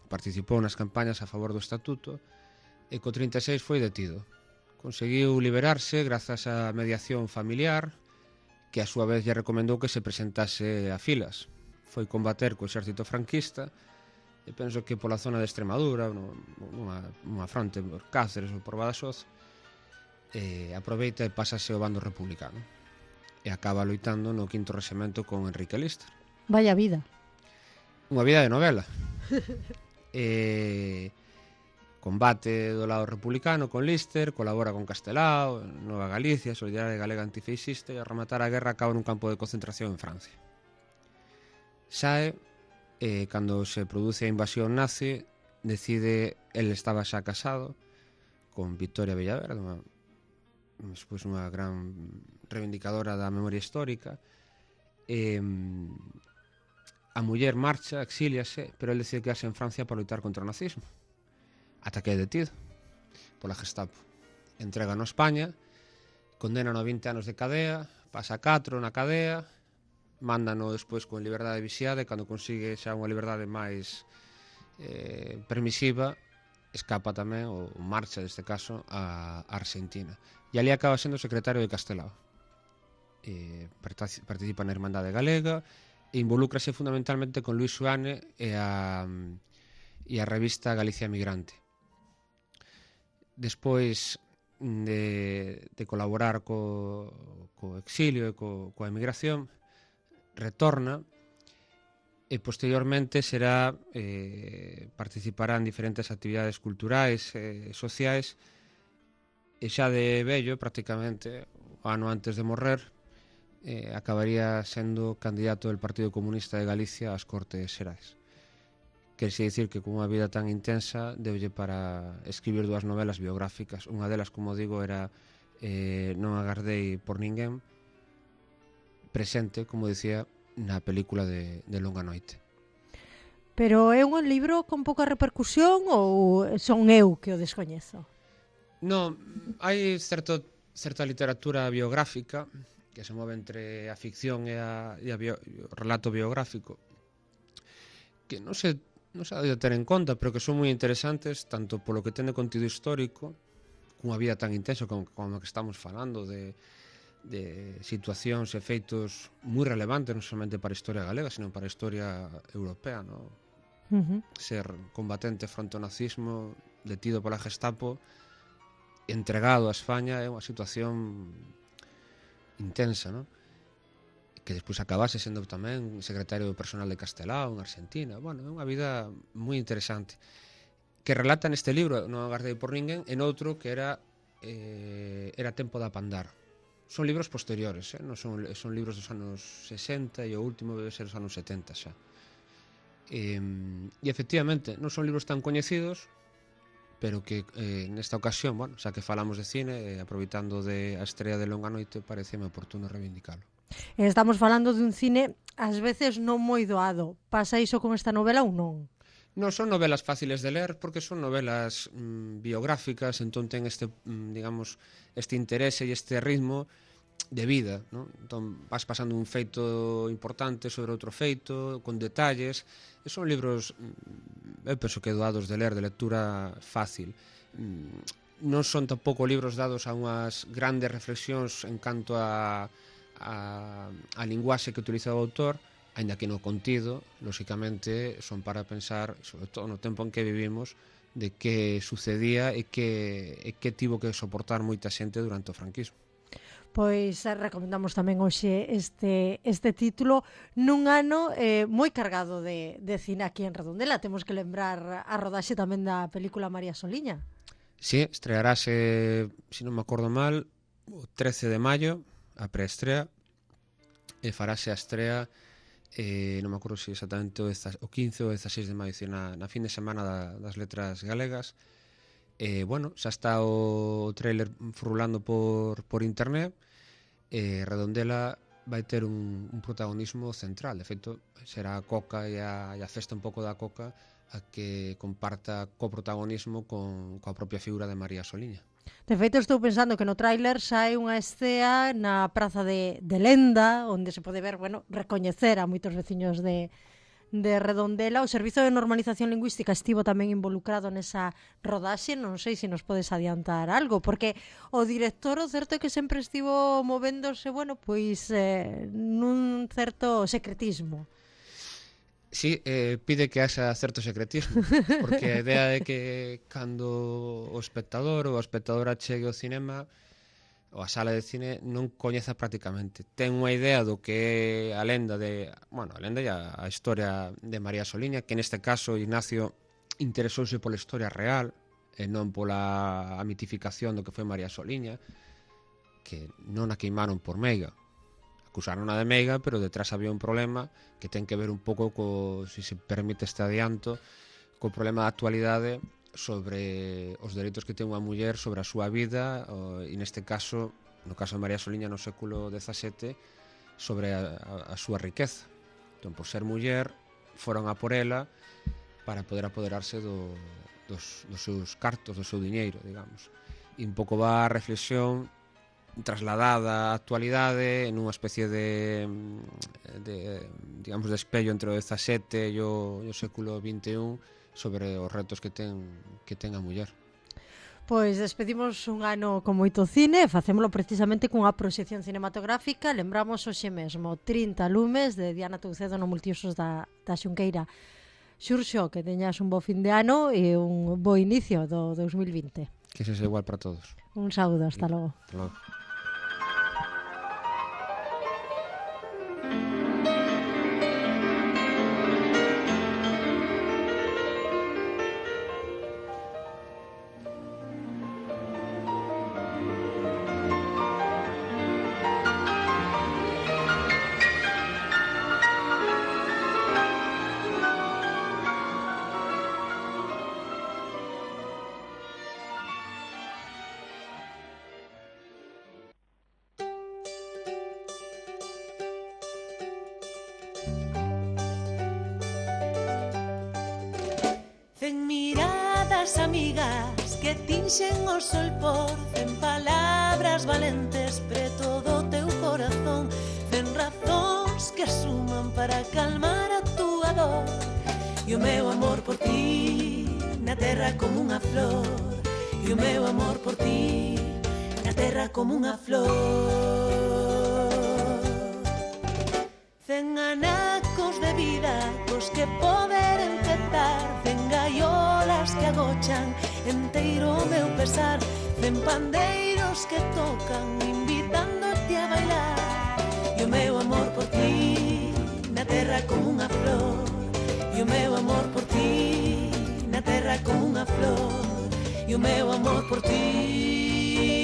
participou nas campañas a favor do Estatuto e co trinta e seis foi detido. Conseguiu liberarse grazas á mediación familiar, que a súa vez lle recomendou que se presentase a filas. Foi combater co exército franquista e penso que pola zona de Extremadura, nunha, nunha fronte por Cáceres ou por Badaxoz, eh, aproveita e pásase ao bando republicano e acaba loitando no quinto rexemento con Enrique Lister. Vaya vida. Unha vida de novela. E combate do lado republicano con Lister, colabora con Castelao, Nova Galicia, Solidaridade Galega Antifeixista, e a rematar a guerra acaba nun campo de concentración en Francia. Sae, eh, cando se produce a invasión nazi, decide, el estaba xa casado con Victoria Villaverde, unha, despois unha gran reivindicadora da memoria histórica, e a muller marcha, exíliase, pero el decide quedarse en Francia para loitar contra o nazismo. Ata que é detido pola Gestapo. Entrega no España, condenan a vinte anos de cadea, pasa catro na cadea, mándano despois con liberdade vixiada e cando consigue xa unha liberdade máis eh, permisiva, escapa tamén, ou marcha neste caso, a Argentina. E ali acaba sendo secretario de Castelao. Eh, participa na Irmandade Galega, e involúcrase fundamentalmente con Luis Seoane e a, e a revista Galicia Migrante. Despois de, de colaborar co, co exilio e co, coa emigración, retorna e posteriormente será eh, participará en diferentes actividades culturais e eh, sociais, e xa de vello, prácticamente, o ano antes de morrer, Eh, acabaría sendo candidato del Partido Comunista de Galicia ás Cortes Xerais. Querse dicir que con unha vida tan intensa deulle para escribir dúas novelas biográficas. Unha delas, como digo, era eh, Non agardei por ninguén, presente, como dicía, na película de, de Longa Noite. Pero é un libro con pouca repercusión ou son eu que o descoñezo? Non, hai certo, certa literatura biográfica que se move entre a ficción e, a, e a bio, o relato biográfico, que non se, non se ha de ter en conta, pero que son moi interesantes, tanto polo que ten de contido histórico, cunha vida tan intensa como, como que estamos falando, de, de situacións e feitos moi relevantes, non somente para a historia galega, sino para a historia europea, ¿no? Uh-huh. Ser combatente fronte ao nazismo, detido pola Gestapo, entregado a España, é unha situación intensa, ¿no? Que despois acabase sendo tamén secretario do personal de Castelao en Argentina. Bueno, é unha vida moi interesante que relata neste libro Non agardei por ninguén, en outro que era eh, era Tempo de apandar. Son libros posteriores, eh? Non son, son libros dos anos sesenta e o último debe ser dos anos setenta xa. E, e efectivamente non son libros tan coñecidos, pero que eh, nesta ocasión, bueno, xa que falamos de cine, eh, aproveitando de a estrela de Longa Noite, pareceme oportuno reivindicalo. Estamos falando de un cine ás veces non moi doado. Pasa iso con esta novela ou non? Non son novelas fáciles de ler porque son novelas mm, biográficas, entón ten este, mm, digamos, este interese e este ritmo de vida, ¿no? Entón vas pasando un feito importante sobre outro feito, con detalles, e son libros, eu penso que doados de ler, de lectura fácil. non son tampouco libros dados a unhas grandes reflexións en canto a, a, a linguaxe que utiliza o autor, aínda que no contido, lóxicamente, son para pensar, sobre todo no tempo en que vivimos, de que sucedía e que, e que tivo que soportar moita xente durante o franquismo. Pois eh, recomendamos tamén hoxe este, este título nun ano eh, moi cargado de, de cine aquí en Redondela. Temos que lembrar a rodaxe tamén da película María Soliña. Sí, estrearase, se non me acordo mal, o trece de maio, a preestrea, e farase a estrea, eh, non me acordo se exactamente o, o quince ou dezasseis de maio, na, na fin de semana da, das letras galegas. Eh, bueno, xa está o trailer frulando por, por internet. eh, Redondela vai ter un, un protagonismo central. De feito, será a Coca e a, e a festa un pouco da Coca a que comparta co-protagonismo con, coa propia figura de María Soliña. De feito, estou pensando que no tráiler sai unha escea na praza de, de Lenda, onde se pode ver, bueno, recoñecer a moitos veciños de, de Redondela. O Servizo de Normalización Lingüística estivo tamén involucrado nesa rodaxe. Non sei se nos podes adiantar algo, porque o director, o certo é que sempre estivo movéndose, bueno, pois eh, nun certo secretismo. Sí, eh, pide que haxa certo secretismo, porque a idea é que cando o espectador ou a espectadora chegue ao cinema ou a sala de cine non coñeza prácticamente. Ten unha idea do que é a lenda de, bueno, a lenda e a, a historia de María Soliña, que neste caso Ignacio interesouse pola historia real e non pola a mitificación do que foi María Soliña, que non a queimaron por meiga. Acusaron a de meiga, pero detrás había un problema que ten que ver un pouco co, se se permite este adianto, co problema da actualidade sobre os dereitos que ten unha muller sobre a súa vida, e neste caso, no caso de María Soliña no século dezasete, sobre a, a, a súa riqueza. Entón, por ser muller, foron a por ela para poder apoderarse do, dos, dos seus cartos, do seu diñeiro, digamos. E un pouco va a reflexión trasladada á actualidade en unha especie de, de digamos, de espello entre o dezasete e o, e o século vinte e un sobre os retos que ten que ten a muller. Pois despedimos un ano con moito cine, facémolo precisamente cunha proxección cinematográfica. Lembramos hoxe mesmo trinta lumes de Diana Toucedo no Multiusos da, da Xunqueira. Xurxo, que teñas un bo fin de ano e un bo inicio do dos mil vinte. Que sexa igual para todos. Un saúdo, hasta logo. Hasta logo. Cen miradas amigas que tinxen o sol por cen palabras valentes preto do teu corazón, cen razóns que suman para calmar a túa dor. E o meu amor por ti na terra como unha flor, e o meu amor por ti na terra como unha flor. Cen anacos de vida cos que poder empezar, cen gaiolas que agochan enteiro o meu pesar, cen pandeiros que tocan invitándote a bailar. E o meu amor por ti na terra como unha flor, e o meu amor por ti na terra como unha flor, e o meu amor por ti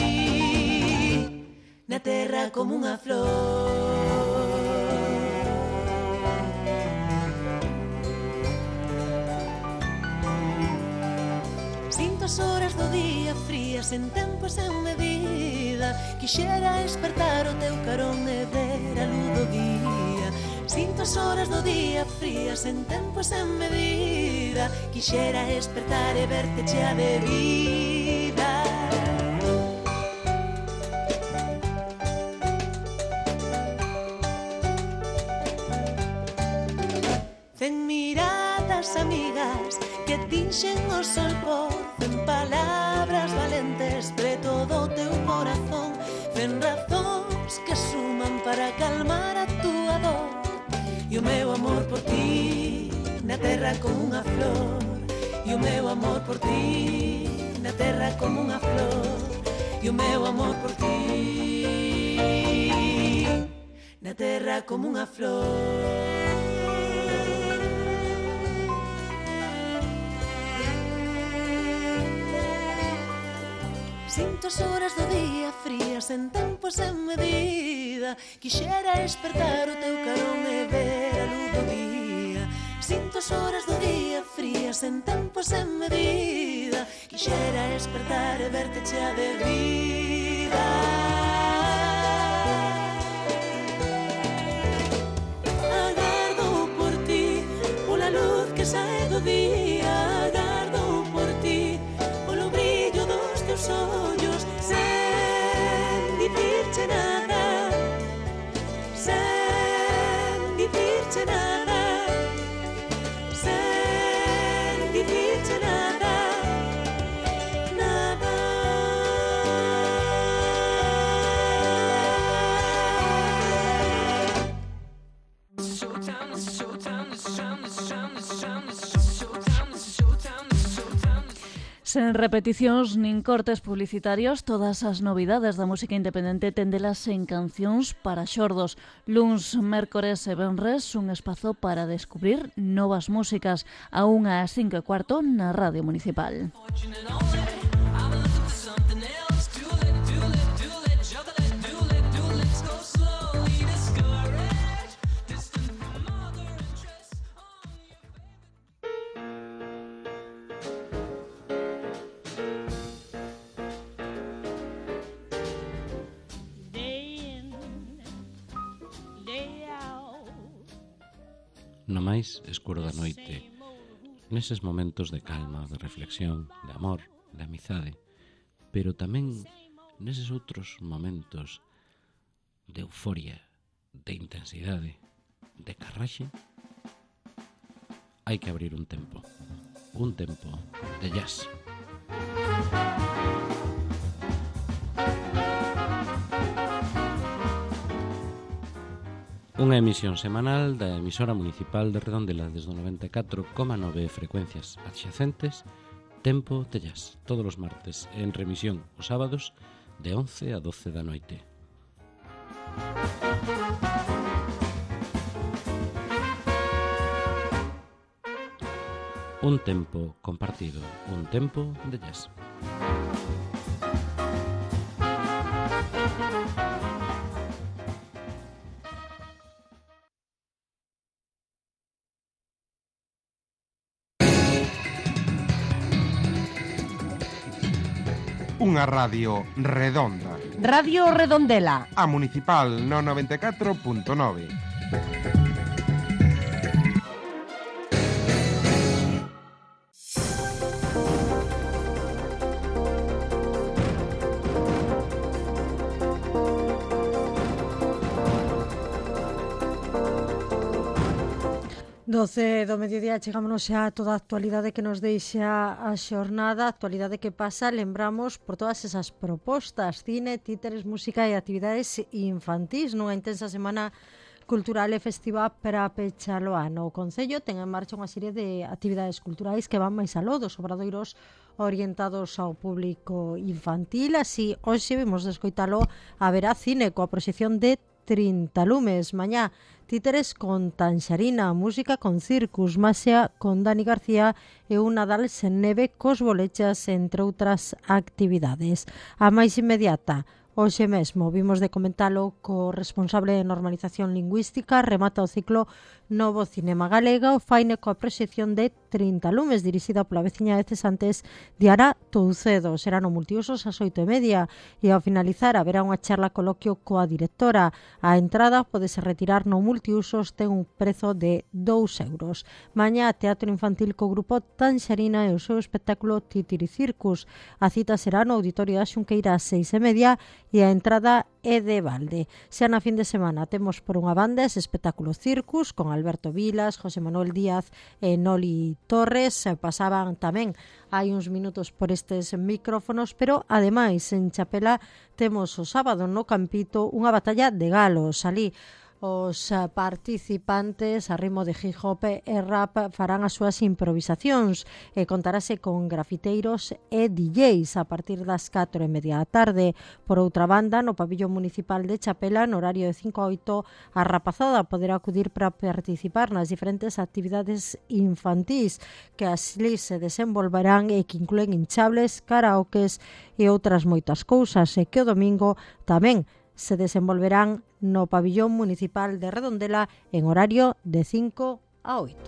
na terra como unha flor. Sinto as horas do día frías en tempo e sen medida, quixera despertar o teu carón e ver a luz do día. Sinto as horas do día frías en tempo e sen medida, quixera despertar e verte chea de vida. Cen miradas amigas que tinxen o sol por cen palabras valentes E o meu amor por ti na terra como unha flor. E o meu amor por ti na terra como unha flor. E o meu amor por ti na terra como unha flor. Sinto as horas do día frías en tempo sen medida. Quixera despertar o teu carón e ver a luz do día. Sinto as horas do día frías en tempo sen medida. Quixera despertar e verte chea de vida. Agardo por ti, pola luz que sae do día. Agardo por ti, polo brillo dos teus ollos. Sen dicirche nada, sen dicirche nada, sen dicirche nada, nada. Sen repeticións nin cortes publicitarios, todas as novidades da música independente tendelas en Cancións para Xordos. Luns, mércores e venres, un espazo para descubrir novas músicas a unha ás cinco e cuarto na Radio Municipal. No máis escuro da noite, neses momentos de calma, de reflexión, de amor, de amizade, pero tamén neses outros momentos de euforia, de intensidade, de carraxe, hai que abrir un tempo, un tempo de jazz. Unha emisión semanal da emisora municipal de Redondela desde o noventa e catro coma nove frecuencias adxacentes, Tempo de Jazz, todos os martes, en remisión os sábados de once a doce da noite. Un tempo compartido, un tempo de jazz. Unha radio redonda. Radio Redondela. A Municipal no noventa e catro punto nove. doce do mediodía chegámonos xa a toda a actualidade que nos deixa a xornada, a actualidade que pasa, lembramos por todas esas propostas, cine, títeres, música e actividades infantís nunha intensa semana cultural e festiva para pechar o ano. O Concello ten en marcha unha serie de actividades culturais que van máis aló dos obradoiros orientados ao público infantil, así hoxe vimos de escoitalo haberá cine coa proxección de trinta lumes, mañá títeres con Tanxarina, música con Circus, Maxia con Dani García e un Nadal sen neve cos bolechas, entre outras actividades. A máis inmediata, hoxe mesmo, vimos de comentalo co responsable de normalización lingüística, remata o ciclo Novo Cinema Galega, o faine coa proxección de trinta lumes, dirixida pola veciña de Cesantes, Diara Toucedo. Será no multiusos ás oito e media e ao finalizar haberá unha charla coloquio coa directora. A entrada podese retirar no multiusos, ten un prezo de dous euros. Mañá, teatro infantil co grupo Tanxarina e o seu espectáculo Titiri Circus. A cita será no auditorio da Xunqueira ás seis e media e a entrada é de balde. Xa na fin de semana temos por unha banda ese espectáculo Circus con Alberto Vilas, José Manuel Díaz e Noli Torres. Pasaban tamén hai uns minutos por estes micrófonos, pero ademais en Chapela temos o sábado no Campito unha batalla de galos. Alí Os participantes a ritmo de hip hop e rap farán as súas improvisacións e contarase con grafiteiros e D Js a partir das catro e media da tarde. Por outra banda, no pabillón municipal de Chapela, no horario de cinco a oito, a rapazada poderá acudir para participar nas diferentes actividades infantís que así se desenvolverán e que incluen hinchables, karaokes e outras moitas cousas, e que o domingo tamén se desenvolverán no pabillón municipal de Redondela en horario de cinco a oito.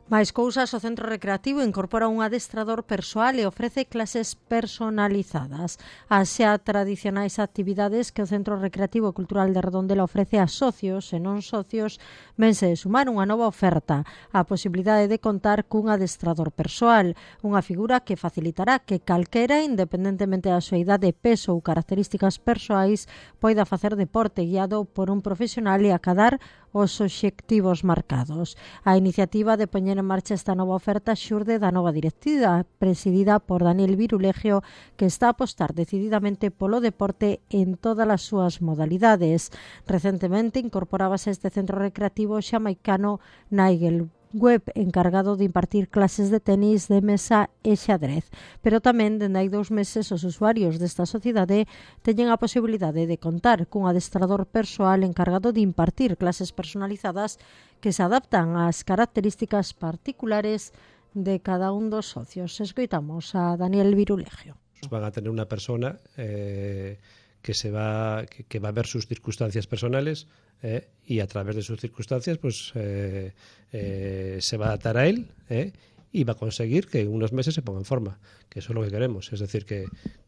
Máis cousas, o Centro Recreativo incorpora un adestrador persoal e ofrece clases personalizadas. As xa tradicionais actividades que o Centro Recreativo Cultural de Redondela ofrece a socios e non socios vense de sumar unha nova oferta, a posibilidade de contar cun adestrador persoal, unha figura que facilitará que calquera, independentemente da súa idade, peso ou características persoais, poida facer deporte guiado por un profesional e acadar os obxectivos marcados. A iniciativa de poñer en marcha esta nova oferta xurde da nova directiva presidida por Daniel Virulegio, que está a apostar decididamente polo deporte en todas as súas modalidades. Recentemente incorporábase a este centro recreativo xamaicano Nigel Web, encargado de impartir clases de tenis de mesa e xadrez. Pero tamén, dende hai dous meses, os usuarios desta sociedade teñen a posibilidade de contar cun adestrador persoal encargado de impartir clases personalizadas que se adaptan ás características particulares de cada un dos socios. Escoitamos a Daniel Virulegio. Van a tener una persona eh, que se va que, que va a ver sus circunstancias personales eh, y a través de sus circunstancias pues eh, eh, se va a adaptar a él eh, y va a conseguir que en unos meses se ponga en forma, que eso es lo que queremos, es decir, que,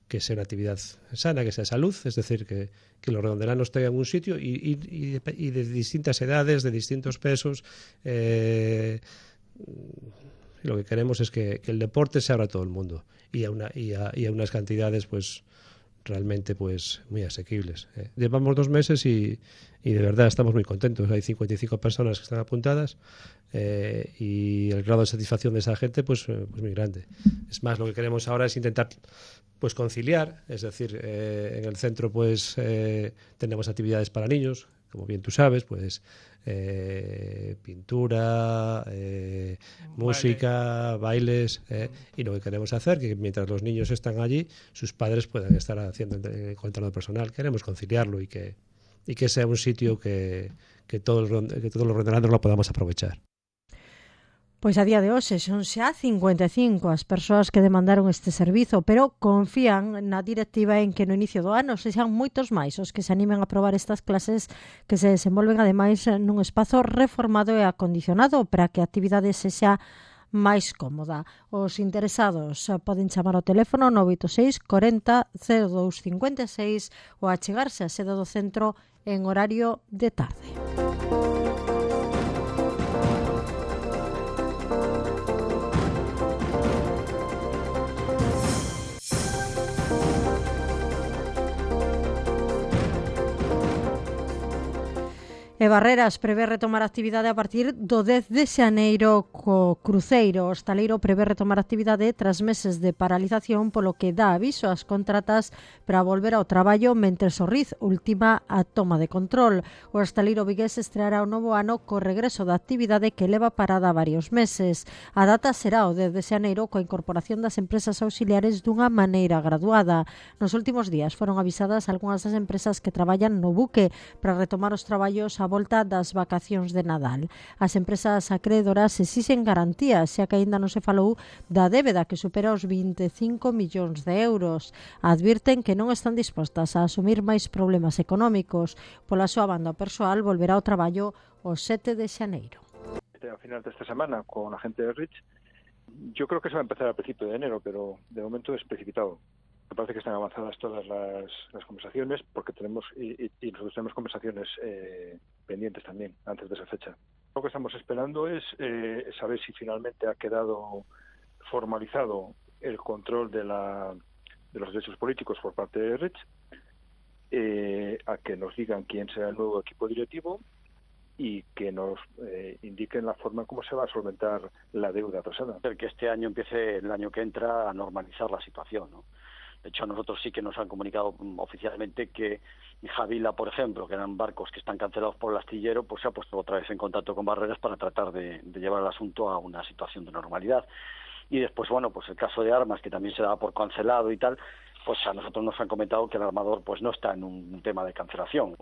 que sea una actividad sana, que sea salud, es decir, que, que los redondelanos tengan un sitio y, y, y, de, y de distintas edades, de distintos pesos. Eh, y lo que queremos es que, que el deporte se abra a todo el mundo y a, una, y a, y a unas cantidades pues realmente pues muy asequibles. Eh. Llevamos dos meses y, y de verdad estamos muy contentos. Hay cincuenta y cinco personas que están apuntadas eh, y el grado de satisfacción de esa gente pues, eh, pues muy grande. Es más, lo que queremos ahora es intentar pues conciliar, es decir, eh, en el centro pues eh, tenemos actividades para niños, como bien tú sabes, pues eh, pintura, eh, música, bailes, eh, y lo que queremos hacer que mientras los niños están allí, sus padres puedan estar haciendo el control personal. Queremos conciliarlo y que y que sea un sitio que, que todos que todos los redondelantes lo podamos aprovechar. Pois a día de hoxe son xa cincuenta e cinco as persoas que demandaron este servizo, pero confían na directiva en que no inicio do ano sexan moitos máis os que se animen a probar estas clases que se desenvolven ademais nun espazo reformado e acondicionado para que a actividade sexa máis cómoda. Os interesados poden chamar ao teléfono nove oito seis corenta cero dous cincuenta e seis ou achegarse á sede do centro en horario de tarde. E Barreras prevé retomar a actividade a partir do dez de xaneiro co cruceiro. O hostaleiro prevé retomar a actividade tras meses de paralización, polo que dá aviso ás contratas para volver ao traballo mentres o R I Z ultima a toma de control. O hostaleiro vigués estreará o novo ano co regreso da actividade que leva parada varios meses. A data será o dez de xaneiro coa incorporación das empresas auxiliares dunha maneira graduada. Nos últimos días foron avisadas algunhas das empresas que traballan no buque para retomar os traballos a volta das vacacións de Nadal. As empresas acreedoras exixen garantías, xa que aínda non se falou da débeda que supera os vinte e cinco millóns de euros. Advirten que non están dispostas a asumir máis problemas económicos. Pola súa banda, o persoal volverá ao traballo o sete de xaneiro. A final desta semana con a gente de Rich, yo creo que se va a empezar a principio de enero, pero de momento es precipitado. Me parece que están avanzadas todas las, las conversaciones porque tenemos y, y, y nosotros tenemos conversaciones eh, pendientes también antes de esa fecha. Lo que estamos esperando es eh, saber si finalmente ha quedado formalizado el control de, la, de los derechos políticos por parte de Rich, eh, a que nos digan quién será el nuevo equipo directivo y que nos eh, indiquen la forma en cómo se va a solventar la deuda pasada. Que este año empiece, el año que entra, a normalizar la situación, ¿no? De hecho, a nosotros sí que nos han comunicado oficialmente que Javila, por ejemplo, que eran barcos que están cancelados por el astillero, pues se ha puesto otra vez en contacto con Barreras para tratar de, de llevar el asunto a una situación de normalidad. Y después, bueno, pues el caso de Armas, que también se daba por cancelado y tal, pues a nosotros nos han comentado que el armador pues no está en un tema de cancelación.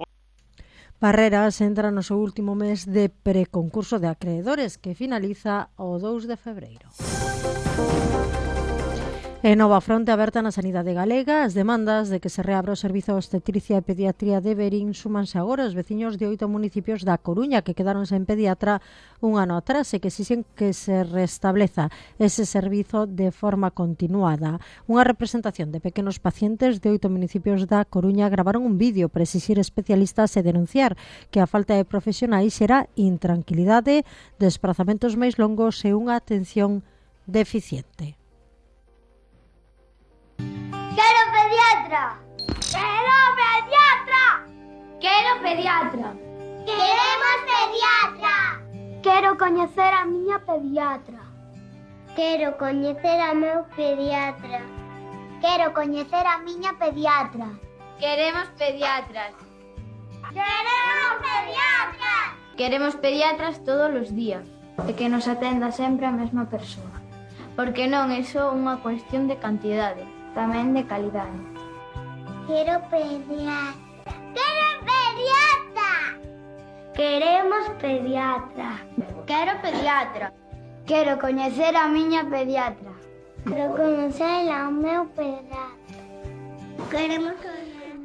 Barreras entra no seu último mes de preconcurso de acreedores que finaliza o dous de febreiro. E nova fronte aberta na sanidade galega, as demandas de que se reabra o servizo de obstetricia e pediatría de Verín súmanse agora os veciños de oito municipios da Coruña que quedaron sen pediatra un ano atrás e que exixen que se restableza ese servizo de forma continuada. Unha representación de pequenos pacientes de oito municipios da Coruña gravaron un vídeo para exixir especialistas e denunciar que a falta de profesionais xera intranquilidade, desplazamentos máis longos e unha atención deficiente. ¡Quiero pediatra! ¡Quiero pediatra! ¡Quiero pediatra! ¡Queremos pediatra! Quero coñecer a miña pediatra. Quero coñecer a meu pediatra. Quero coñecer a miña pediatra. Queremos pediatras. ¡Queremos pediatras! Queremos pediatras todos os días e que nos atenda sempre a mesma persoa. Porque non é só unha cuestión de cantidade, tamén de calidade. Quero pediatra. Quero pediatra. Queremos pediatra. Quero pediatra. Quero coñecer a miña pediatra. Quero coñecer ao meu pediatra. Queremos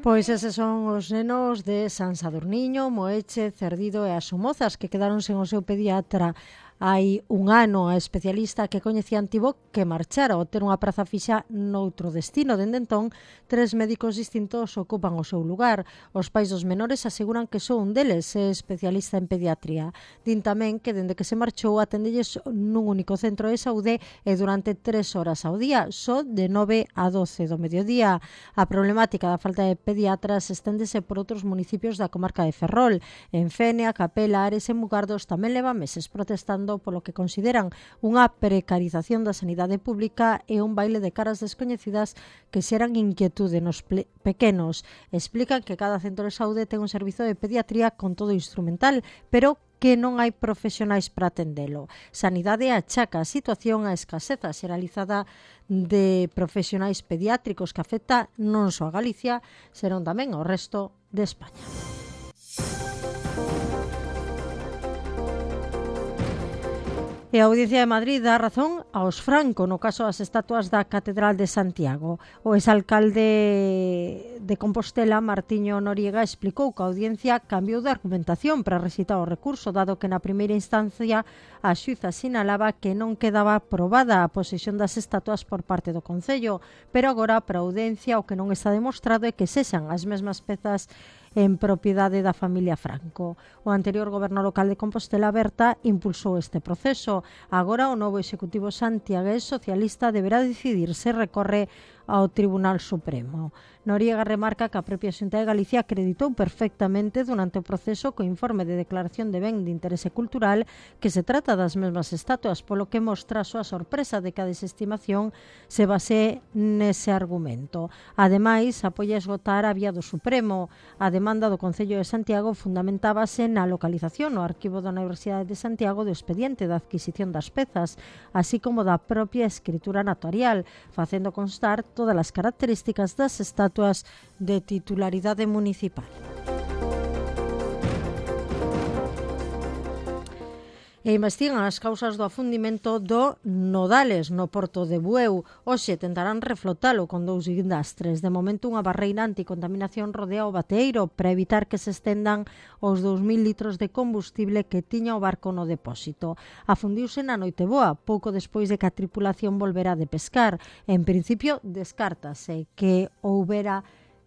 Pois eses son os nenos de San Sadurniño, Moeche, Cerdido e as Somozas que quedaron sen o seu pediatra hai un ano. A especialista que coñecían tivo que marchar ao ter unha praza fixa noutro destino. Dende entón, tres médicos distintos ocupan o seu lugar. Os pais dos menores aseguran que só un deles é especialista en pediatría. Din tamén que dende que se marchou atendelles nun único centro de saúde e durante tres horas ao día, só de nove a doce do mediodía. A problemática da falta de pediatras esténdese por outros municipios da comarca de Ferrol. En Fene, a Capela, Ares e Mugardos tamén leva meses protestando polo que consideran unha precarización da sanidade pública e un baile de caras descoñecidas que xeran inquietude nos pequenos. Explican que cada centro de saúde ten un servizo de pediatría con todo instrumental, pero que non hai profesionais para atendelo. Sanidade achaca a situación a escaseza xeralizada de profesionais pediátricos que afecta non só a Galicia, senón tamén ao resto de España. E a Audiencia de Madrid dá razón aos Franco no caso das estatuas da Catedral de Santiago. O exalcalde de Compostela, Martiño Noriega, explicou que a Audiencia cambiou de argumentación para recitar o recurso, dado que na primeira instancia a xuíza sinalaba que non quedaba aprobada a posesión das estatuas por parte do Concello, pero agora para a Audiencia o que non está demostrado é que sexan as mesmas pezas en propiedade da familia Franco. O anterior goberno local de Compostela, Berta, impulsou este proceso. Agora o novo executivo santiagués socialista deberá decidir se recorre ao Tribunal Supremo. Noriega remarca que a propia Xunta de Galicia acreditou perfectamente durante o proceso co informe de declaración de ben de interese cultural que se trata das mesmas estatuas, polo que mostra a súa sorpresa de que a desestimación se base nese argumento. Ademais, apoia esgotar a vía do Supremo. A demanda do Concello de Santiago fundamentábase na localización no arquivo da Universidade de Santiago do expediente da adquisición das pezas, así como da propia escritura notarial, facendo constar todas as características das estatuas de titularidade municipal. E investigan as causas do afundimento do Nodales no porto de Bueu. Hoxe tentarán reflotalo con dous guindastres. De momento, unha barreira anticontaminación rodea o bateeiro para evitar que se estendan os dous mil litros de combustible que tiña o barco no depósito. Afundiuse na Noiteboa, pouco despois de que a tripulación volvera de pescar. En principio, descártase que houbera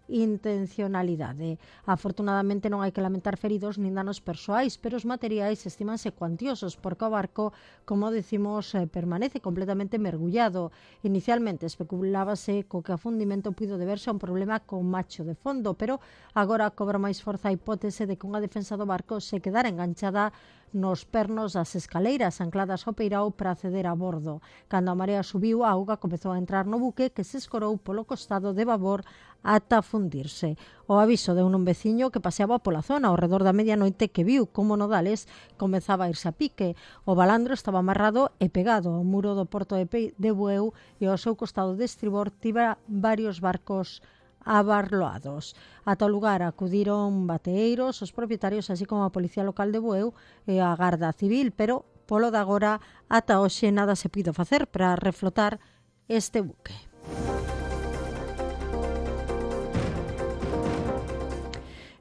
intencionalidade. Afortunadamente non hai que lamentar feridos nin danos persoais, pero os materiais estimanse cuantiosos porque o barco, como decimos, eh, permanece completamente mergullado. Inicialmente especulábase co que o afundimento puido deberse a un problema con macho de fondo, pero agora cobra máis forza a hipótese de que unha defensa do barco se quedara enganchada nos pernos das escaleiras ancladas ao peirao para acceder a bordo. Cando a marea subiu, a auga comezou a entrar no buque que se escorou polo costado de babor ata fundirse. O aviso de un veciño que paseaba pola zona ao redor da medianoite que viu como Nodales comezaba a irse a pique. O balandro estaba amarrado e pegado ao muro do porto de, Pe de Bueu e ao seu costado de estribor tiba varios barcos abarloados. Ata o lugar acudiron bateeiros, os propietarios, así como a Policía Local de Bueu e a Garda Civil, pero polo de agora ata hoxe nada se puido facer para reflotar este buque.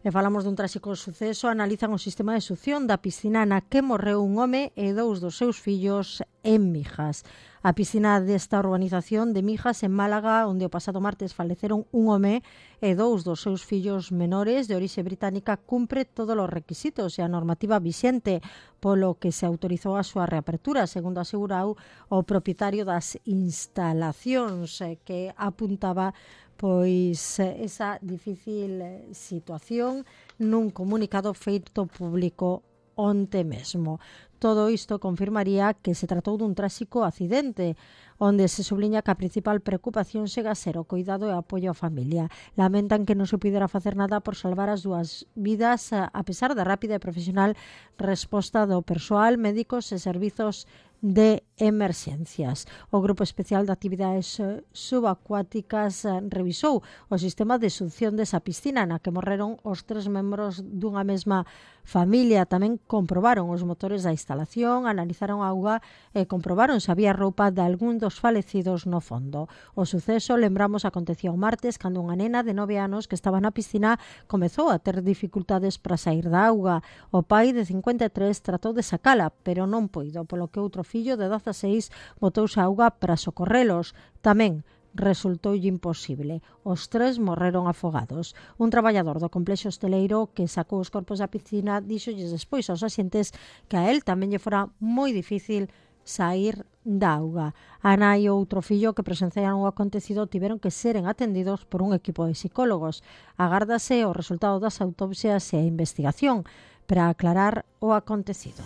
E falamos dun tráxico suceso, analizan o sistema de succión da piscina na que morreu un home e dous dos seus fillos en Mijas. A piscina desta urbanización de Mijas, en Málaga, onde o pasado martes faleceron un home e dous dos seus fillos menores de orixe británica, cumpre todos os requisitos e a normativa vixente, polo que se autorizou a súa reapertura, segundo asegurou o propietario das instalacións, que apuntaba pois esa difícil situación nun comunicado feito público onte mesmo. Todo isto confirmaría que se tratou dun tráxico accidente, onde se subliña que a principal preocupación chega a ser o cuidado e apoio á familia. Lamentan que non se pudera facer nada por salvar as dúas vidas, a pesar da rápida e profesional resposta do persoal, médicos e servizos de emerxencias. O Grupo Especial de Actividades Subacuáticas revisou o sistema de succión desa piscina na que morreron os tres membros dunha mesma familia. Tamén comprobaron os motores da instalación, analizaron a auga e comprobaron se había roupa de algún dos falecidos no fondo. O suceso, lembramos, aconteció o martes cando unha nena de nove anos que estaba na piscina comezou a ter dificultades para sair da auga. O pai de cincuenta e tres tratou de sacala, pero non puido, polo que outro fillo de dezaseis botouse a auga para socorrelos. Tamén resultoulle imposible. Os tres morreron afogados. Un traballador do complexo hosteleiro que sacou os corpos da piscina díxolles despois aos axentes que a él tamén lle fora moi difícil sair da auga. A nai e outro fillo que presenciaron o acontecido tiveron que seren atendidos por un equipo de psicólogos. Agárdase o resultado das autopsias e a investigación para aclarar o acontecido.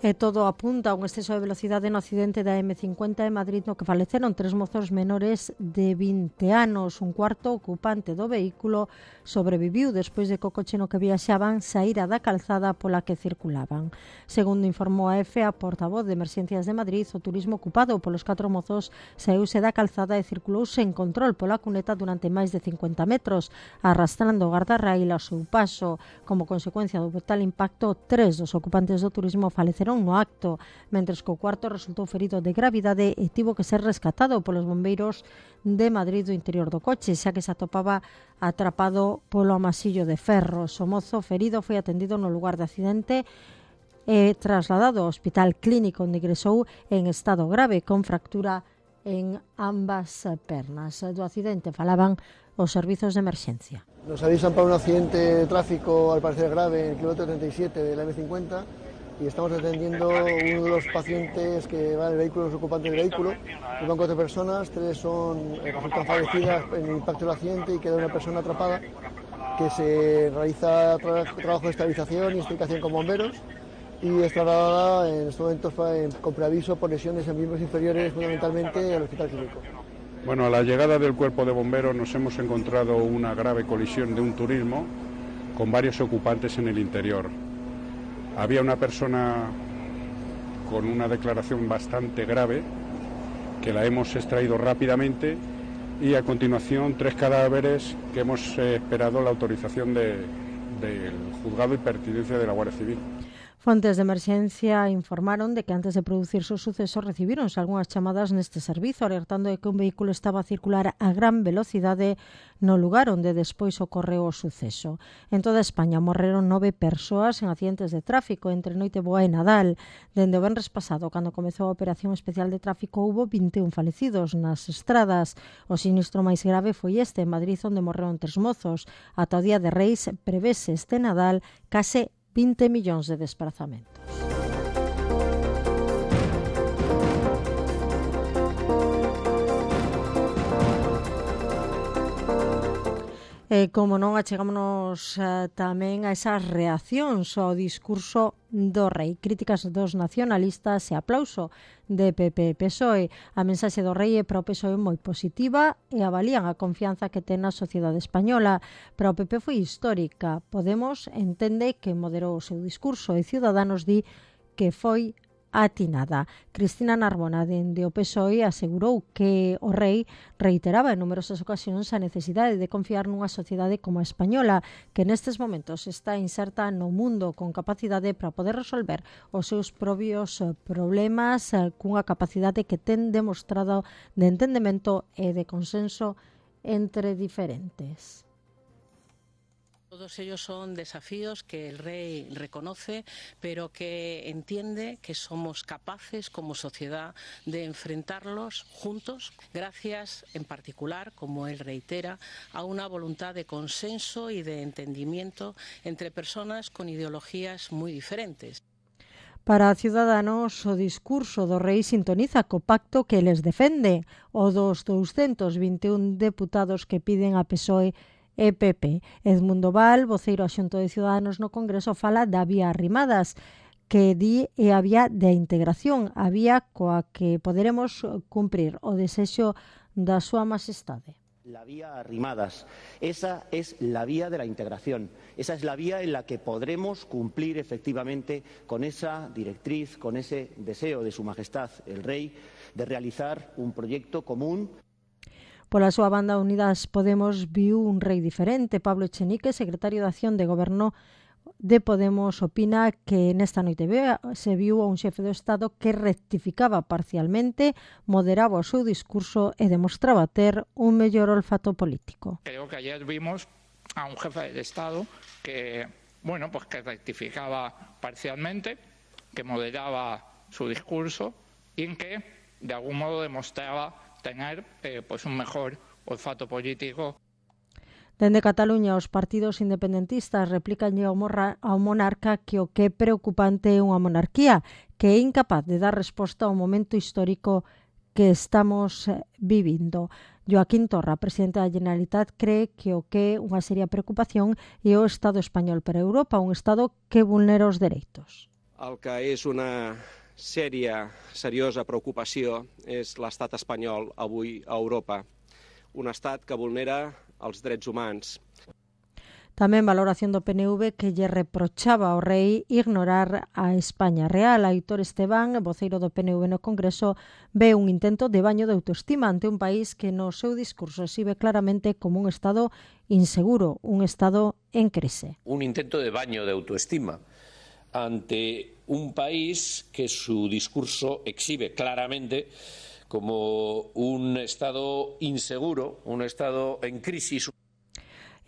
E todo apunta a un exceso de velocidade no accidente da eme cincuenta en Madrid no que faleceron tres mozos menores de vinte anos. Un cuarto ocupante do vehículo sobreviviu despois de que o coche no que viaxaban saíra da calzada pola que circulaban. Segundo informou a EFE, a portavoz de Emerxencias de Madrid, o turismo ocupado polos catro mozos saíuse da calzada e circulouse en control pola cuneta durante máis de cincuenta metros, arrastrando o guardarraíl ao seu paso. Como consecuencia do brutal impacto, tres dos ocupantes do turismo faleceron no acto, mentres que o cuarto resultou ferido de gravidade e tivo que ser rescatado polos bombeiros de Madrid do interior do coche, xa que se atopaba atrapado polo amasillo de ferros. O mozo ferido foi atendido no lugar de accidente e trasladado ao hospital clínico onde ingresou en estado grave con fractura en ambas pernas. Do accidente falaban os servizos de emerxencia. Nos avisan para un accidente de tráfico al parecer grave en el kilómetro treinta y siete de la eme cincuenta y estamos atendiendo a uno de los pacientes que va en el vehículo, los ocupantes del vehículo. Van cuatro personas, tres son eh, resultan fallecidas en el impacto del accidente y queda una persona atrapada que se realiza tra trabajo de estabilización y explicación con bomberos y es trasladada en estos momentos con preaviso por lesiones en miembros inferiores, fundamentalmente al hospital clínico. Bueno, a la llegada del cuerpo de bomberos nos hemos encontrado una grave colisión de un turismo con varios ocupantes en el interior. Había una persona con una declaración bastante grave que la hemos extraído rápidamente y a continuación tres cadáveres que hemos eh, esperado la autorización de, del juzgado y pertinencia de la Guardia Civil. Fontes de emerxencia informaron de que antes de producirse o suceso recibíronse algunhas chamadas neste servizo alertando de que un vehículo estaba a circular a gran velocidade no lugar onde despois ocorreu o suceso. En toda España morreron nove persoas en accidentes de tráfico entre Noiteboa e Nadal. Dende o venres pasado, cando comezou a operación especial de tráfico, houbo vinte e un falecidos nas estradas. O sinistro máis grave foi este en Madrid, onde morreron tres mozos. Ata o día de Reis prevese este Nadal case vinte millóns de desplazamentos. E, como non, achegámonos uh, tamén a esas reaccións ao discurso do rei. Críticas dos nacionalistas e aplauso de P P e P S O E. A mensaxe do rei é para o P S O E moi positiva e avalían a confianza que ten a sociedade española. Para o P P foi histórica. Podemos entende que moderou o seu discurso e Ciudadanos di que foi atinada. Cristina Narbona, dende o P S O E, asegurou que o rei reiteraba en numerosas ocasións a necesidade de confiar nunha sociedade como a española, que nestes momentos está inserta no mundo con capacidade para poder resolver os seus propios problemas cunha capacidade que ten demostrado de entendemento e de consenso entre diferentes. Todos ellos son desafíos que el rey reconoce, pero que entiende que somos capaces como sociedad de enfrentarlos juntos, gracias en particular, como él reitera, a una voluntad de consenso y de entendimiento entre personas con ideologías muy diferentes. Para Ciudadanos, o discurso do rei sintoniza co pacto que les defende, o dos doscientos vinte e un deputados que piden a P S O E e P P. Edmundo Val, voceiro axunto de Ciudadanos no Congreso, fala da vía Arrimadas, que di é a vía de integración, a vía coa que poderemos cumprir o desexo da súa majestade. La vía Arrimadas, esa es la vía de la integración, esa es la vía en la que podremos cumplir efectivamente con esa directriz, con ese deseo de su majestad el rey de realizar un proyecto común. Pola súa banda, Unidas Podemos viu un rei diferente. Pablo Echenique, secretario de Acción de Goberno de Podemos, opina que nesta noite se viu a un xefe do Estado que rectificaba parcialmente, moderaba o seu discurso e demostraba ter un mellor olfato político. Creo que ayer vimos a un jefe de Estado que, bueno, pues que rectificaba parcialmente, que moderaba su discurso y en que, de algún modo, demostraba tener eh, pues un mejor olfato político. Dende Cataluña, os partidos independentistas replican ao, morra, ao monarca que o que é preocupante é unha monarquía que é incapaz de dar resposta ao momento histórico que estamos vivindo. Joaquín Torra, presidente da Generalitat, cree que o que é unha seria preocupación é o Estado español para Europa, un Estado que vulnera os dereitos. El que és una sèria, seriosa preocupació és l'estat espanyol avui a Europa, un estat que vulnera els drets humans. Tamén valoración do P N V que lle reprochaba ao rei ignorar a España real. Aitor Esteban, voceiro do P N V no Congreso, ve un intento de baño de autoestima ante un país que no seu discurso exhibe claramente como un estado inseguro, un estado en crise. Un intento de baño de autoestima ante un país que su discurso exhibe claramente como un estado inseguro, un estado en crisis.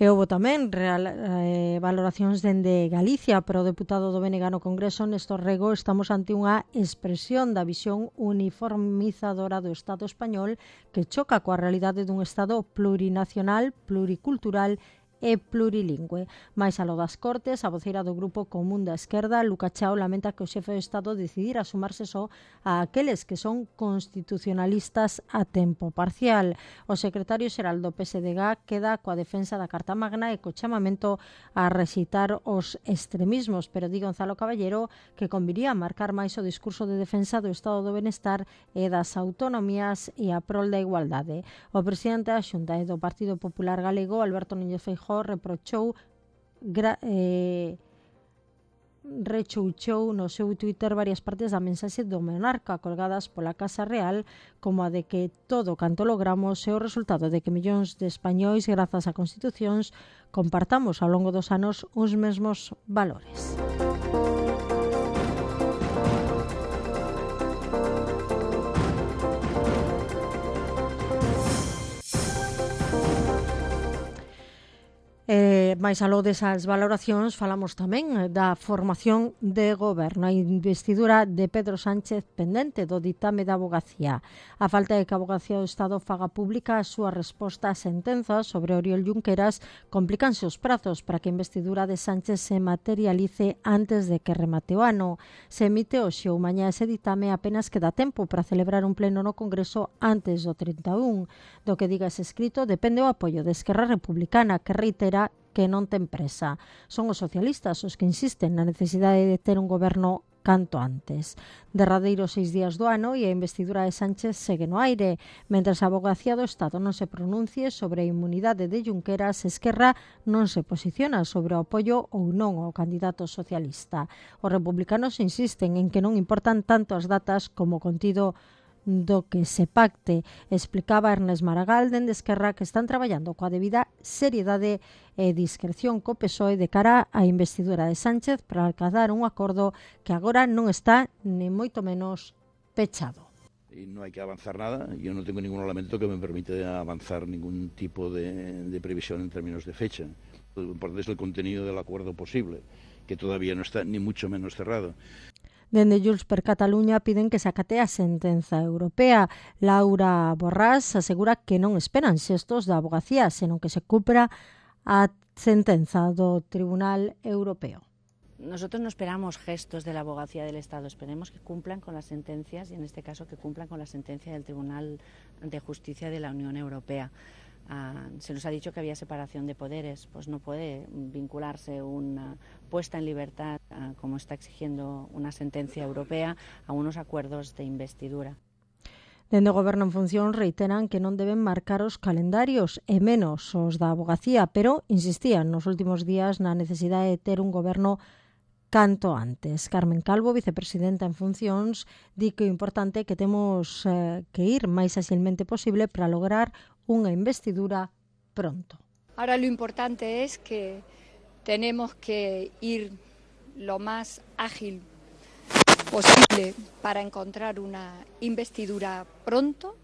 E houve tamén real, eh, valoracións dende Galicia, pero o deputado do B N G no Congreso, Néstor Rego, estamos ante unha expresión da visión uniformizadora do Estado español que choca coa realidade dun Estado plurinacional, pluricultural e plurilingüe. Mais alo das Cortes, a voceira do Grupo Común da Esquerda, Luca Chao, lamenta que o xefe do Estado decidira sumarse só a aqueles que son constitucionalistas a tempo parcial. O secretario xeral do P S D G queda coa defensa da Carta Magna e co chamamento a rexeitar os extremismos, pero di Gonzalo Caballero que conviría marcar máis o discurso de defensa do Estado do Benestar e das autonomías e a prol da igualdade. O presidente da Xunta e do Partido Popular Galego, Alberto Núñez Feijóo, reprochou gra, eh, rechouchou no seu Twitter varias partes da mensaxe do monarca colgadas pola Casa Real, como a de que todo canto logramos é o resultado de que millóns de españois, grazas a constitucións, compartamos ao longo dos anos os mesmos valores. máis aló desas valoracións, falamos tamén da formación de goberno, a investidura de Pedro Sánchez pendente do ditame da Avogacía. A falta de que a Avogacía do Estado faga pública a súa resposta a sentenzas sobre Oriol Junqueras complicanse os prazos para que a investidura de Sánchez se materialice antes de que remate o ano. Se emite hoxe ou mañá ese ditame, apenas queda tempo para celebrar un pleno no Congreso antes do trinta e un. Do que diga ese escrito depende o apoio de Esquerra Republicana, que reitera que non ten presa. Son os socialistas os que insisten na necesidade de ter un goberno canto antes. Derradeiros seis días do ano e a investidura de Sánchez segue no aire. Mentres a Avogacía do Estado non se pronuncie sobre a inmunidade de Junqueras, Esquerra non se posiciona sobre o apoio ou non ao candidato socialista. Os republicanos insisten en que non importan tanto as datas como o contido do que se pacte. Explicaba Ernest Maragall dende Esquerra que están traballando coa debida seriedade e discreción co P S O E de cara á investidura de Sánchez para alcanzar un acordo que agora non está ni moito menos pechado. Y no hay que avanzar nada. Yo no tengo ningún elemento que me permita avanzar ningún tipo de, de previsión en términos de fecha. Lo importante es el contenido del acuerdo posible, que todavía no está ni mucho menos cerrado. Dende Junts per Cataluña piden que se acate a sentenza europea. Laura Borrás asegura que non esperan xestos da Avogacía, senón que se cumpra a sentenza do Tribunal Europeo. Nosotros no esperamos gestos de la Abogacía del Estado, esperemos que cumplan con las sentencias y en este caso que cumplan con la sentencia del Tribunal de Justicia de la Unión Europea. Uh, se nos ha dicho que había separación de poderes, pues no puede vincularse una puesta en libertad, uh, como está exigiendo una sentencia europea, a unos acuerdos de investidura. Dende o Goberno en función reiteran que non deben marcar os calendarios e menos os da Avogacía, pero insistían nos últimos días na necesidade de ter un goberno canto antes. Carmen Calvo, vicepresidenta en funcións, di que o importante é que temos eh, que ir máis axilmente posible para lograr unha investidura pronto. Ahora lo importante es que tenemos que ir lo más ágil posible para encontrar una investidura pronto.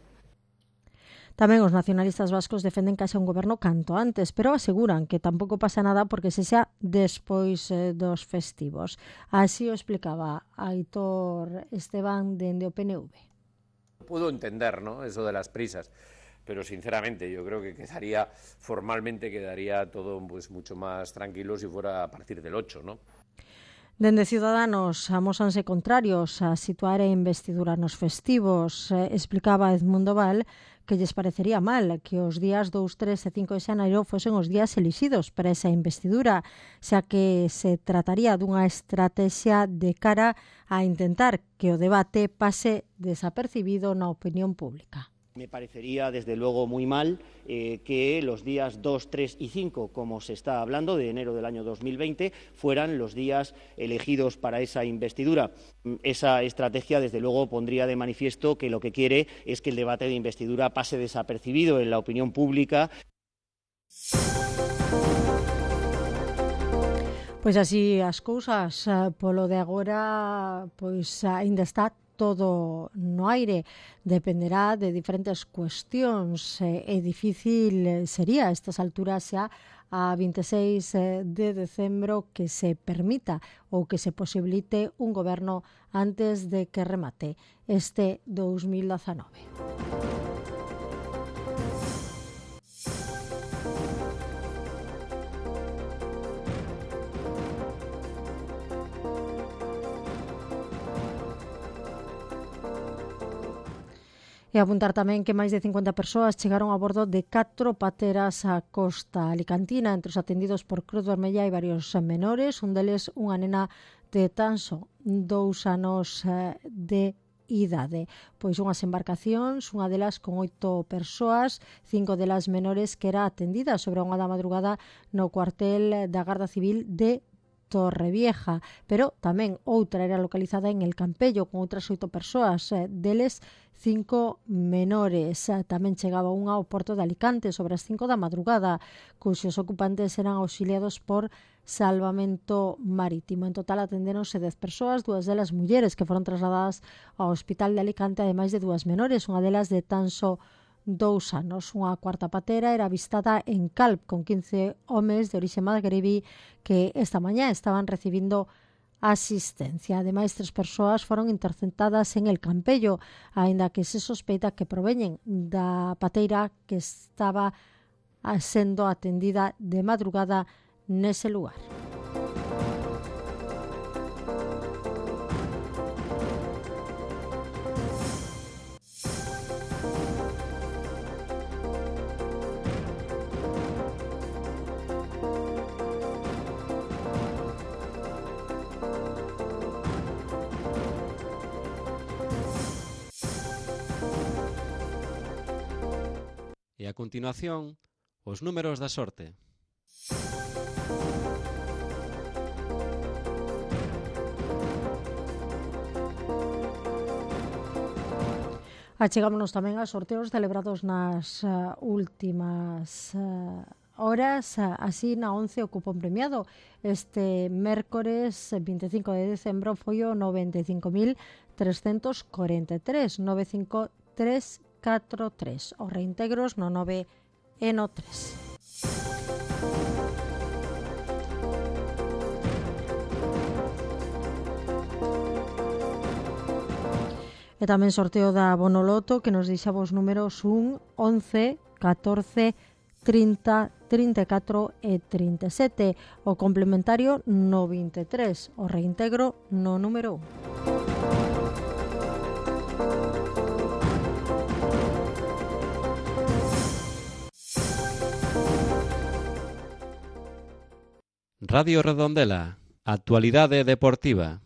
Tamén os nacionalistas vascos defenden que haxa un goberno canto antes, pero aseguran que tampouco pasa nada porque se xa despois eh, dos festivos. Así o explicaba Aitor Esteban dende o P N V. Puedo entender, ¿no?, eso de las prisas, pero sinceramente yo creo que quedaría, formalmente quedaría todo pues mucho más tranquilo si fuera a partir del ocho, ¿no? Dende Ciudadanos amósanse contrarios a situar a investidura nos festivos. Eh, explicaba Edmundo Val que lles parecería mal que os días dous, tres e cinco de xaneiro fosen os días elixidos para esa investidura, xa que se trataría dunha estrategia de cara a intentar que o debate pase desapercibido na opinión pública. Me parecería, desde luego, muy mal eh, que los días dos, tres y cinco, como se está hablando, de enero del año dos mil veinte, fueran los días elegidos para esa investidura. Esa estrategia, desde luego, pondría de manifiesto que lo que quiere es que el debate de investidura pase desapercibido en la opinión pública. Pois así as cousas, polo de agora, pois aínda está todo no aire, dependerá de diferentes cuestións e eh, difícil sería a estas alturas xa a vinte e seis de decembro que se permita ou que se posibilite un goberno antes de que remate este dous mil dezanove. E apuntar tamén que máis de cincuenta persoas chegaron a bordo de catro pateras á costa alicantina. Entre os atendidos por Cruz Vermella hai varios menores, un deles unha nena de tan só dous anos de idade. Pois unhas embarcacións, unha delas con oito persoas, cinco delas menores, que era atendida sobre unha da madrugada no cuartel da Garda Civil de Torrevieja, pero tamén outra era localizada en El Campello con outras oito persoas, deles cinco menores. Tamén chegaba unha ao porto de Alicante sobre as cinco da madrugada, cuxos ocupantes eran auxiliados por Salvamento Marítimo. En total atendéronse dez persoas, dúas delas mulleres que foron trasladadas ao Hospital de Alicante, ademais de dúas menores, unha delas de tan só dous anos. Unha cuarta patera era avistada en Calp con quince homes de orixe magrebí que esta mañá estaban recibindo asistencia. Ademais, tres persoas foron interceptadas en el Campello, aínda que se sospeita que proveñen da pateira que estaba sendo atendida de madrugada nese lugar. E a continuación, os números da sorte. Achegámonos tamén a sorteos celebrados nas uh, últimas uh, horas. Uh, así, na once o cupón premiado este mércores vinte e cinco de decembro foi o noventa e cinco mil trescentos corenta e tres, noventa e cinco mil trescentos catro tres. Os reintegros no nove e no tres. E tamén sorteo da Bonoloto que nos deixaba os números un, once, catorce, trinta, trinta e catro e trinta e sete. O complementario no vinte e tres. O reintegro no número un. Radio Redondela, actualidade deportiva.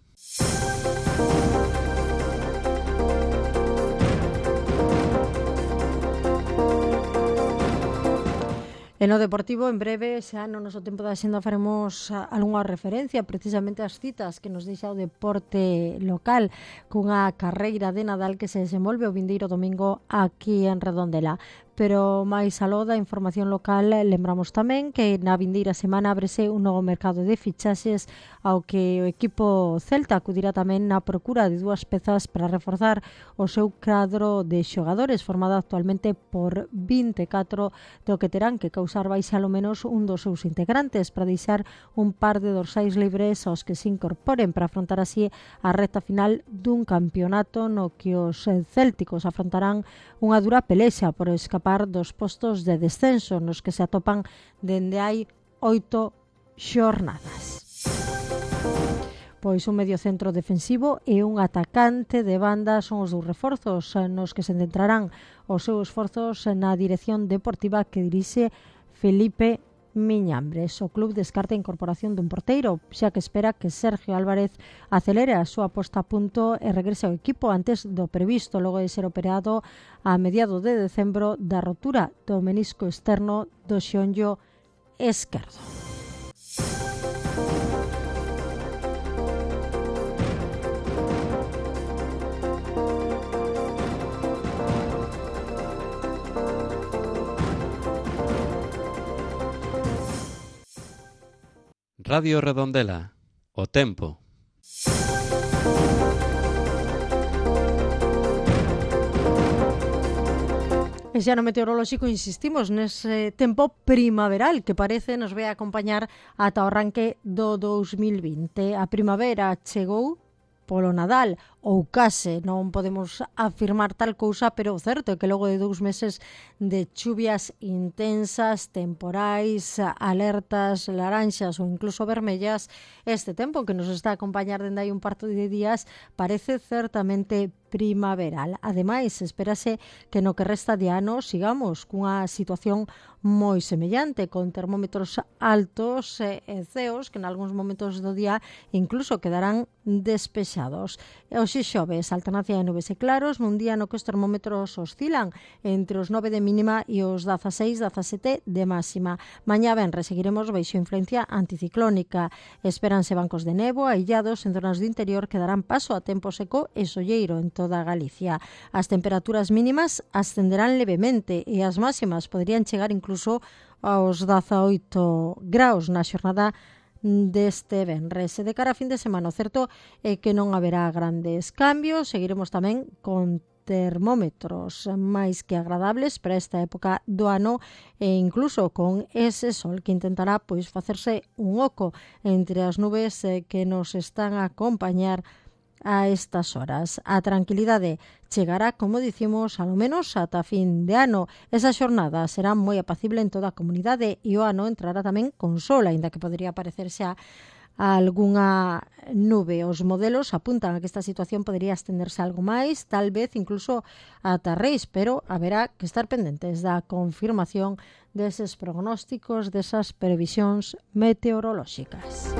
E no Deportivo, en breve, xa no noso tempo da xenda faremos algunha referencia precisamente ás citas que nos deixa o deporte local cunha carreira de Nadal que se desenvolve o vindeiro domingo aquí en Redondela. Pero máis aló da información local, lembramos tamén que na vindeira semana ábrese un novo mercado de fichaxes ao que o equipo celta acudirá tamén na procura de dúas pezas para reforzar o seu cadro de xogadores formado actualmente por vinte e catro, do que terán que causar baixa ao menos un dos seus integrantes para deixar un par de dorsais libres aos que se incorporen para afrontar así a recta final dun campeonato no que os célticos afrontarán unha dura pelexa por escapar dos postos de descenso nos que se atopan dende hai oito xornadas. Pois un mediocentro defensivo e un atacante de banda son os dous reforzos nos que se centrarán os seus esforzos na dirección deportiva que dirixe Felipe Miñambres. O club descarta a incorporación dun porteiro, xa que espera que Sergio Álvarez acelere a súa posta a punto e regrese ao equipo antes do previsto, logo de ser operado a mediados de decembro da rotura do menisco externo do xeonllo esquerdo. Radio Redondela, o tempo. E xa no meteorolóxico insistimos nese tempo primaveral que parece nos vai acompañar ata o arranque do dous mil vinte. A primavera chegou polo Nadal, ou case, non podemos afirmar tal cousa, pero o certo é que logo de dous meses de chuvias intensas, temporais, alertas laranxas ou incluso vermellas, este tempo que nos está a acompañar dende hai un par de días parece certamente primaveral. Ademais, espérase que no que resta de ano sigamos cunha situación moi semellante, con termómetros altos e ceos que en algúns momentos do día incluso quedarán despexados. Hoxe xoves, alternancia de nubes e claros, nun día no que os termómetros oscilan entre os nove de mínima e os dezaseis, dezasete de máxima. Mañá venres seguiremos baixo influencia anticiclónica. Espéranse bancos de nevo aillados en zonas do interior que darán paso a tempo seco e solleiro en toda Galicia. As temperaturas mínimas ascenderán levemente e as máximas poderían chegar incluso aos dezaoito graus na xornada deste venres. E de cara a fin de semana, o certo é que non haberá grandes cambios. Seguiremos tamén con termómetros máis que agradables para esta época do ano e incluso con ese sol que intentará pois facerse un oco entre as nubes eh, que nos están a acompañar a estas horas. A tranquilidade chegará, como dicimos, alo menos ata fin de ano. Esa xornada será moi apacible en toda a comunidade e o ano entrará tamén con sol, aínda que podería parecer xa a algunha nube. Os modelos apuntan a que esta situación podería estenderse algo máis, tal vez incluso ata Reis, pero haberá que estar pendentes da confirmación deses prognósticos, desas previsións meteorolóxicas.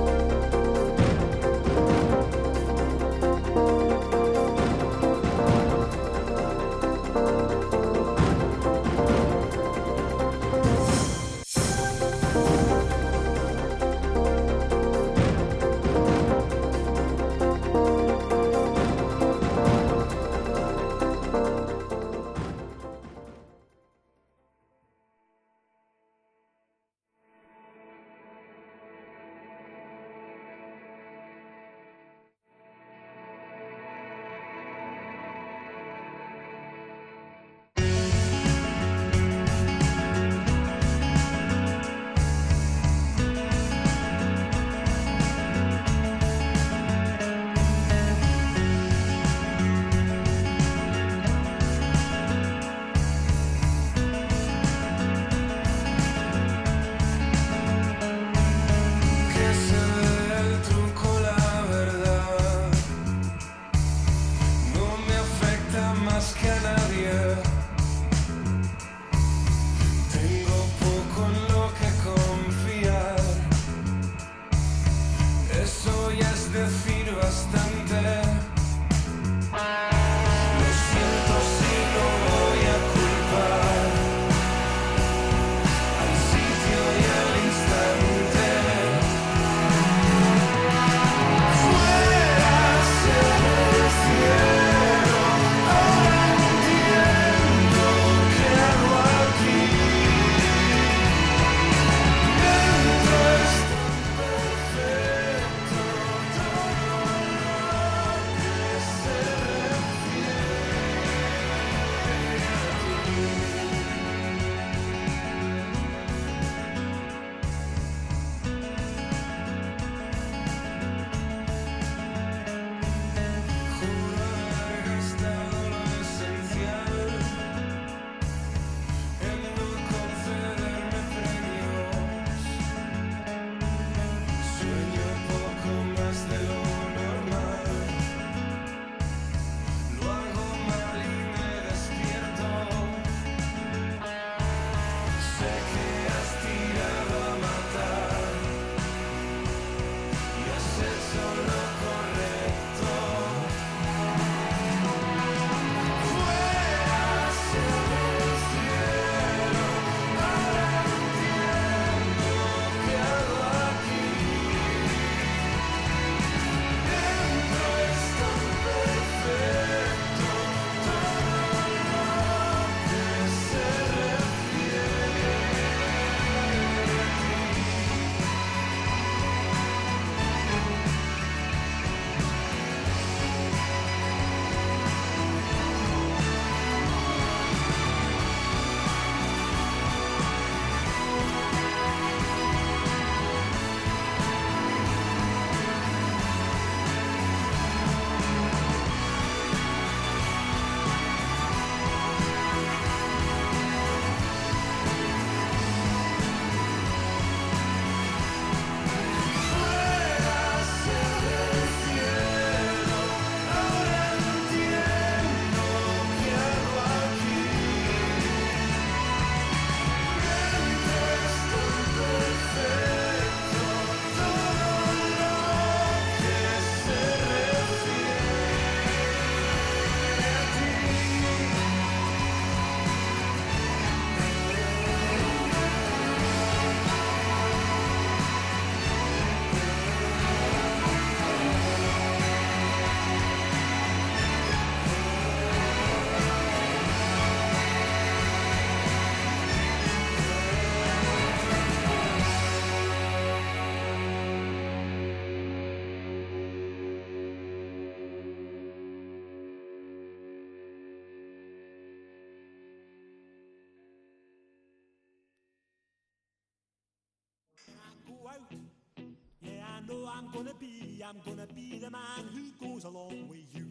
I'm gonna be, I'm gonna be the man who goes along with you.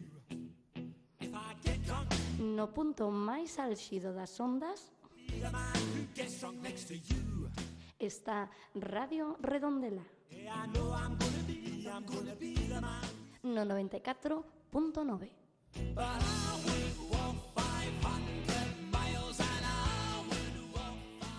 If I get drunk, no punto máis álxido das ondas be the man who gets drunk next to you. Está Radio Redondela. Yeah, I know I'm gonna be, I'm gonna be the man. No noventa e catro punto nove. But I would walk five hundred miles and I would walk five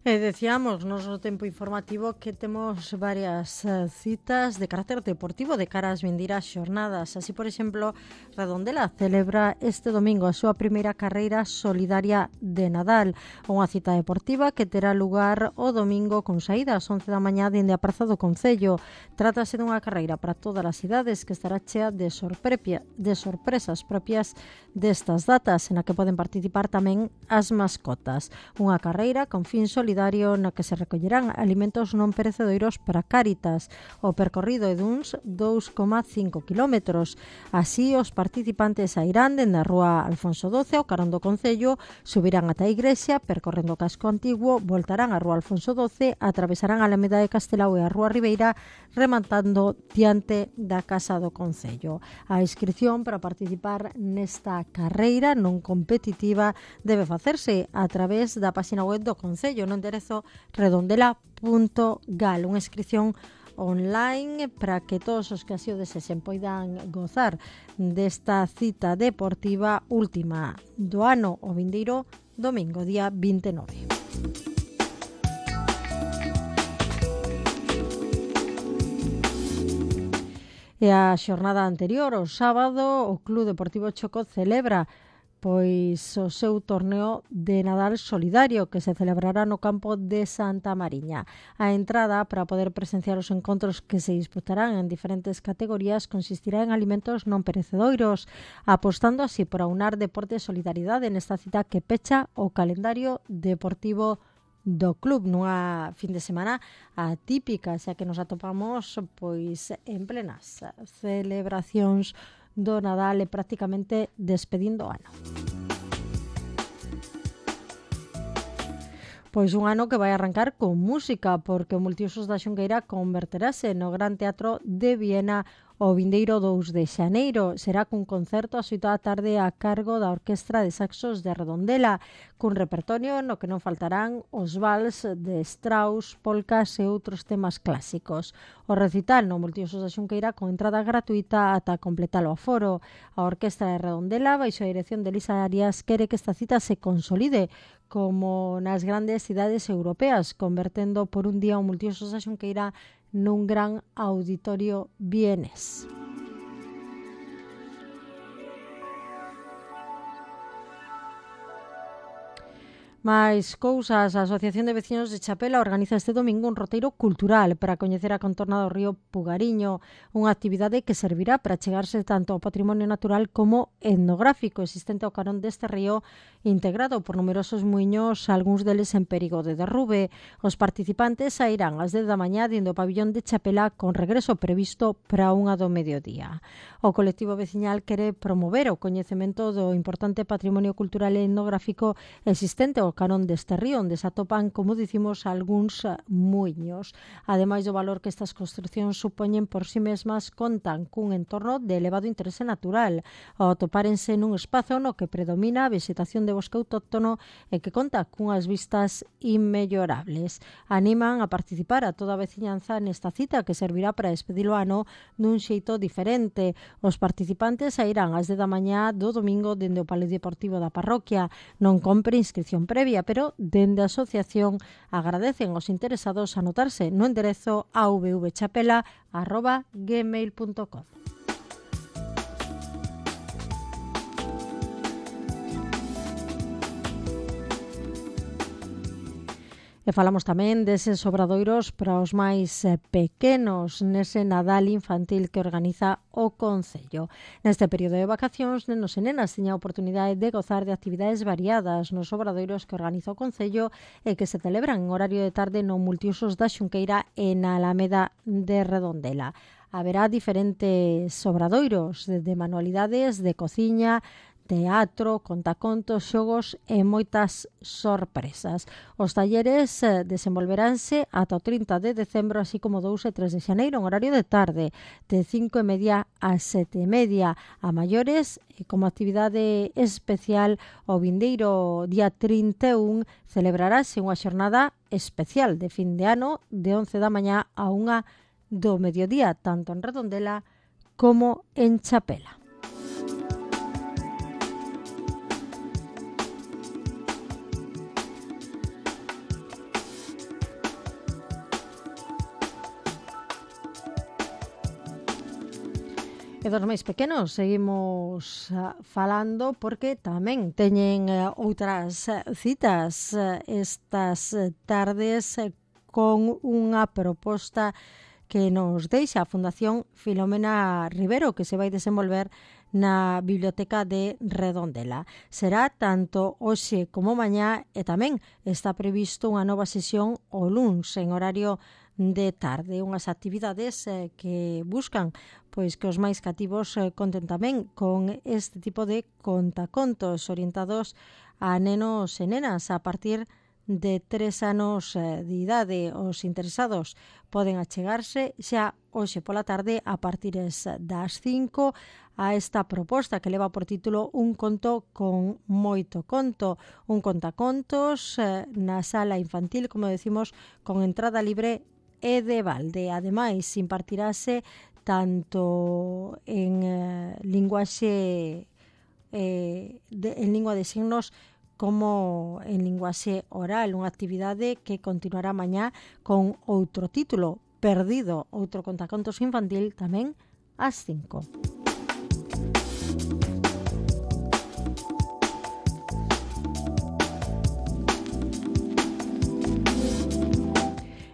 E decíamos nos no tempo informativo que temos varias uh, citas de carácter deportivo de cara ás vindeiras xornadas. Así, por exemplo, Redondela celebra este domingo a súa primeira carreira solidaria de Nadal, unha cita deportiva que terá lugar o domingo con saída ás once da mañá dende a Praza do Concello. Trátase dunha carreira para todas as idades que estará chea de, sorprepia, de sorpresas propias destas datas, na que poden participar tamén as mascotas. Unha carreira con fin solidario na que se recollerán alimentos non perecedoiros para Cáritas. O percorrido é duns dous coma cinco kilómetros. Así, os participantes sairán dende a rúa Alfonso doce ao carón do Concello, subirán ata a igrexa, percorrendo o casco antigo, voltarán á rúa Alfonso doce, atravesarán a Alameda de Castelao e a rúa Ribeira, rematando diante da Casa do Concello. A inscrición para participar nesta carreira non competitiva debe facerse a través da página web do Concello, no enderezo redondela punto gal, unha inscripción online para que todos os que así o desexen poidan gozar desta cita deportiva última do ano o vindeiro domingo, día vinte e nove. E a xornada anterior, o sábado, o Club Deportivo Choco celebra pois o seu torneo de Nadal solidario que se celebrará no campo de Santa Mariña. A entrada para poder presenciar os encontros que se disputarán en diferentes categorías consistirá en alimentos non perecedoiros, apostando así por aunar deporte e solidaridade nesta cita que pecha o calendario deportivo do club nunha fin de semana atípica, xa que nos atopamos pois en plenas celebracións do Nadal e prácticamente despedindo o ano. Pois un ano que vai arrancar con música, porque o Multiusos da Xunqueira converterase no Gran Teatro de Viena o vindeiro dous de xaneiro. Será cun concerto ás oito da tarde a cargo da Orquestra de Saxos de Redondela, cun repertorio no que non faltarán os vals de Strauss, polcas e outros temas clásicos. O recital no Multiusos da Xunqueira con entrada gratuita ata completar o aforo. A Orquestra de Redondela, baixo a dirección de Elisa Arias, quere que esta cita se consolide como nas grandes cidades europeas, convertendo por un día o Multiusos da Xunqueira nun gran auditorio vienés. Mais cousas, a Asociación de Veciños de Chapela organiza este domingo un roteiro cultural para coñecer a contorna do río Pugariño, unha actividade que servirá para chegarse tanto ao patrimonio natural como etnográfico existente ao carón deste río, integrado por numerosos muiños, algúns deles en perigo de derrube. Os participantes sairán ás dez da mañá dende o pabillón de Chapela con regreso previsto para unha do mediodía. O colectivo veciñal quere promover o coñecemento do importante patrimonio cultural e etnográfico existente ao carón deste río, onde se atopan, como dicimos, algúns muiños. Ademais do valor que estas construcións supoñen por si mesmas, contan cun entorno de elevado interese natural, ao atopárense nun espazo no que predomina a vegetación de bosque autóctono e que conta cunhas vistas inmellorables. Animan a participar a toda a veciñanza nesta cita que servirá para despedir o ano nun xeito diferente. Os participantes sairán ás dez da mañá do domingo dende o Polideportivo da parroquia. Non compre inscripción previa, pero dende a asociación agradecen aos interesados anotarse no enderezo a v v chapela arroba gmail punto com. E E falamos tamén deses obradoiros para os máis eh, pequenos nese Nadal infantil que organiza o Concello. Neste período de vacacións, nenos e nenas tiña a oportunidade de gozar de actividades variadas nos obradoiros que organiza o Concello e que se celebran en horario de tarde no multiusos da Xunqueira e na Alameda de Redondela. Haberá diferentes obradoiros de manualidades, de cociña, teatro, contacontos, xogos e moitas sorpresas. Os talleres eh, desenvolveránse ata o trinta de decembro, así como dous e tres de xaneiro, en horario de tarde, de cinco e media a sete e media a maiores, e como actividade especial o vindeiro día trinta e un celebrarase unha xornada especial de fin de ano de once da mañá a unha do mediodía, tanto en Redondela como en Chapela. E dos máis pequenos seguimos uh, falando porque tamén teñen uh, outras uh, citas uh, estas uh, tardes uh, con unha proposta que nos deixa a Fundación Filomena Rivero, que se vai desenvolver na Biblioteca de Redondela. Será tanto hoxe como mañá e tamén está previsto unha nova sesión o luns en horario de tarde, unhas actividades eh, que buscan pois que os máis cativos eh, conten tamén con este tipo de contacontos orientados a nenos e nenas a partir de tres anos eh, de idade. Os interesados poden achegarse xa hoxe pola tarde a partir das cinco a esta proposta que leva por título Un conto con moito conto, un contacontos eh, na sala infantil, como decimos, con entrada libre e de balde. Ademais, impartirase tanto en eh, linguaxe eh, de, en lingua de signos como en linguaxe oral, unha actividade que continuará mañá con outro título, Perdido, outro contacontos infantil tamén ás cinco.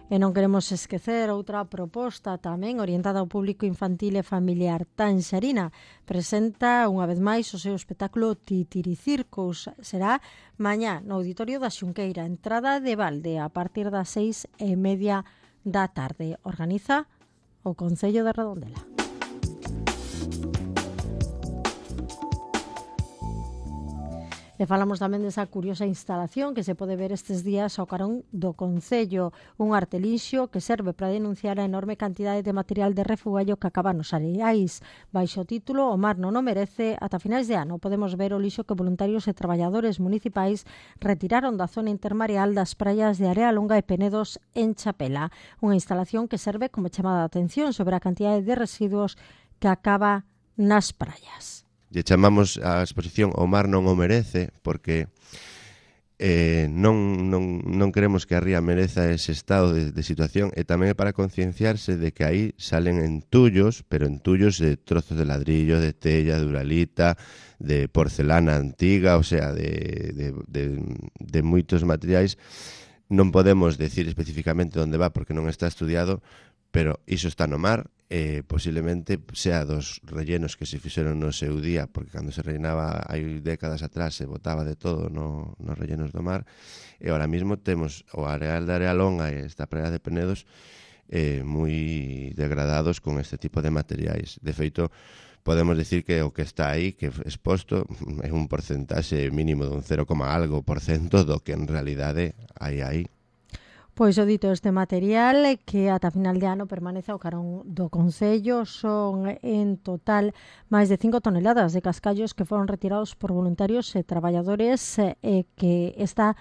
E non queremos esquecer outra proposta tamén orientada ao público infantil e familiar. Tanxarina presenta unha vez máis o seu espectáculo Titiricircus. Será mañá no Auditorio da Xunqueira, entrada de balde a partir das seis e media da tarde. Organiza o Concello de Redondela. E falamos tamén desa curiosa instalación que se pode ver estes días ao carón do Concello, un artelixo que serve para denunciar a enorme cantidade de material de refugallo que acaba nos areais. Baixo o título O mar non o merece, ata finais de ano podemos ver o lixo que voluntarios e traballadores municipais retiraron da zona intermareal das praias de Area Longa e Penedos en Chapela. Unha instalación que serve como chamada de atención sobre a cantidade de residuos que acaba nas praias. Lle chamamos a exposición O mar non o merece porque eh, non, non, non queremos que a ría mereza ese estado de, de situación, e tamén é para concienciarse de que aí salen entullos, pero entullos de trozos de ladrillo, de tella, de uralita, de porcelana antiga, o sea, de, de, de, de moitos materiais. Non podemos decir especificamente onde va porque non está estudiado, pero iso está no mar. Eh, posiblemente sea dos rellenos que se fixeron no seu día, porque cando se rellenaba hai décadas atrás se botaba de todo no, nos rellenos do mar, e ahora mismo temos o areal de Area Longa e esta praia de Penedos eh, moi degradados con este tipo de materiais. De feito, podemos decir que o que está aí, que é exposto, é un porcentaxe mínimo dun cero, algo por cento do que en realidade hai aí. Pois o dito este material que ata final de ano permanece ao carón do Concello son en total máis de cinco toneladas de cascallos que foron retirados por voluntarios e traballadores e que está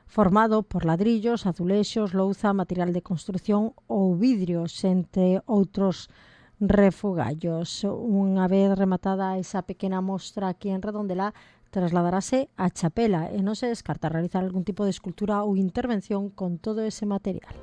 formado por ladrillos, azulexos, louza, material de construción ou vidrios, entre outros refugallos. Unha vez rematada esa pequena mostra aquí en Redondela, trasladarase a Chapela e non se descarta realizar algún tipo de escultura ou intervención con todo ese material.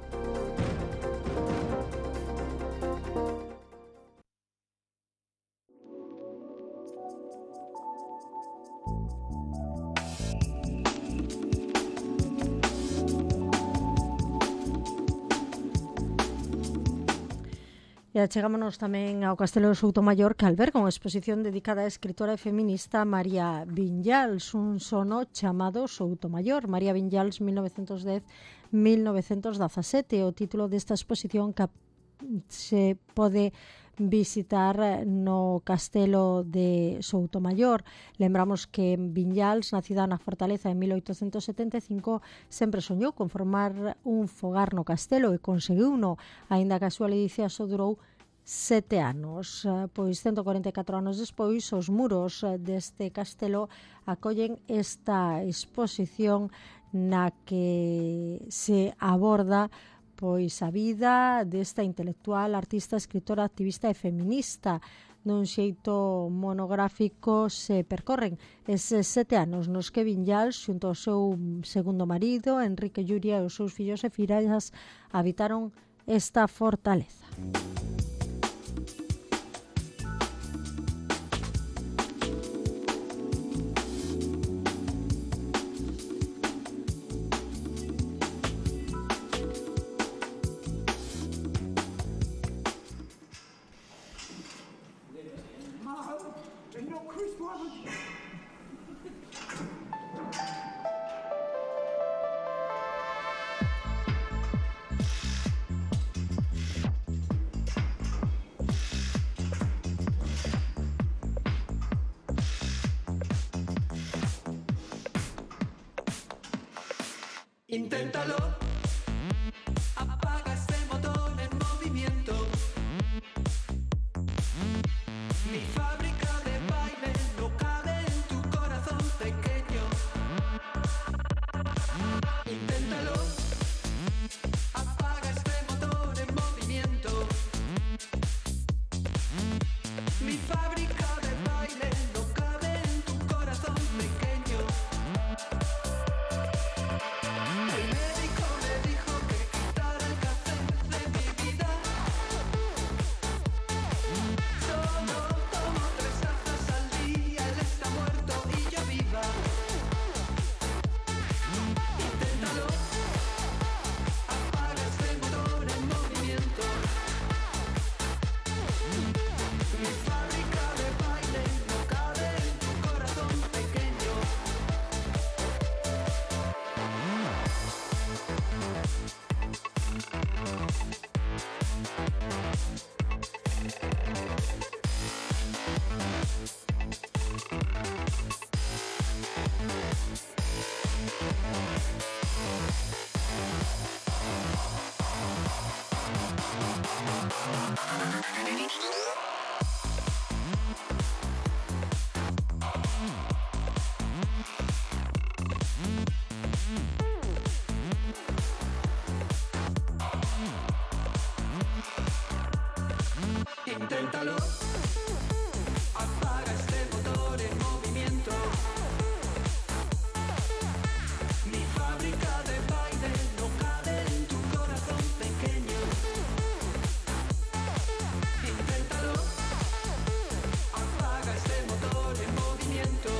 E achegámonos tamén ao Castelo de Soutomaior, que alberga unha exposición dedicada á escritora e feminista María Viñals, un sono chamado Soutomaior. María Viñals, mil novecientos dez a mil novecientos dezasete. O título desta exposición que se pode visitar no Castelo de Soutomaior. Lembramos que Viñals, nacida na Fortaleza en mil oitocentos setenta e cinco, sempre soñou con formar un fogar no castelo e conseguiuno, aínda que a súa ledicia só durou sete anos. Pois cento e corenta e catro anos despois, os muros deste castelo acollen esta exposición na que se aborda pois a vida desta intelectual, artista, escritora, activista e feminista. Nun xeito monográfico se percorren eses sete anos nos que Viñals, xunto ao seu segundo marido, Enrique Lluria, e os seus fillos e fillas habitaron esta fortaleza. Inténtalo, apaga ese motor en movimiento. Mi fábrica de baile no cabe en tu corazón pequeño. Inténtalo, apaga este motor en movimiento. Mi fábrica de baile no cabe en tu corazón pequeño. El médico me dijo que quitara el café de mi vida. Solo tomo tres tazas al día, él está muerto y yo viva. Inténtalo, apaga este motor en movimiento. Mi fábrica de baile no cabe en tu corazón pequeño. Inténtalo, apaga este motor en movimiento. Mi fábrica de baile no cabe en tu corazón pequeño. Inténtalo, apaga este motor en movimiento.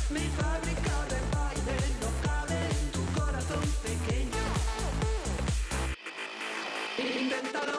Mi fábrica de baile no cabe en tu corazón pequeño. Inténtalo.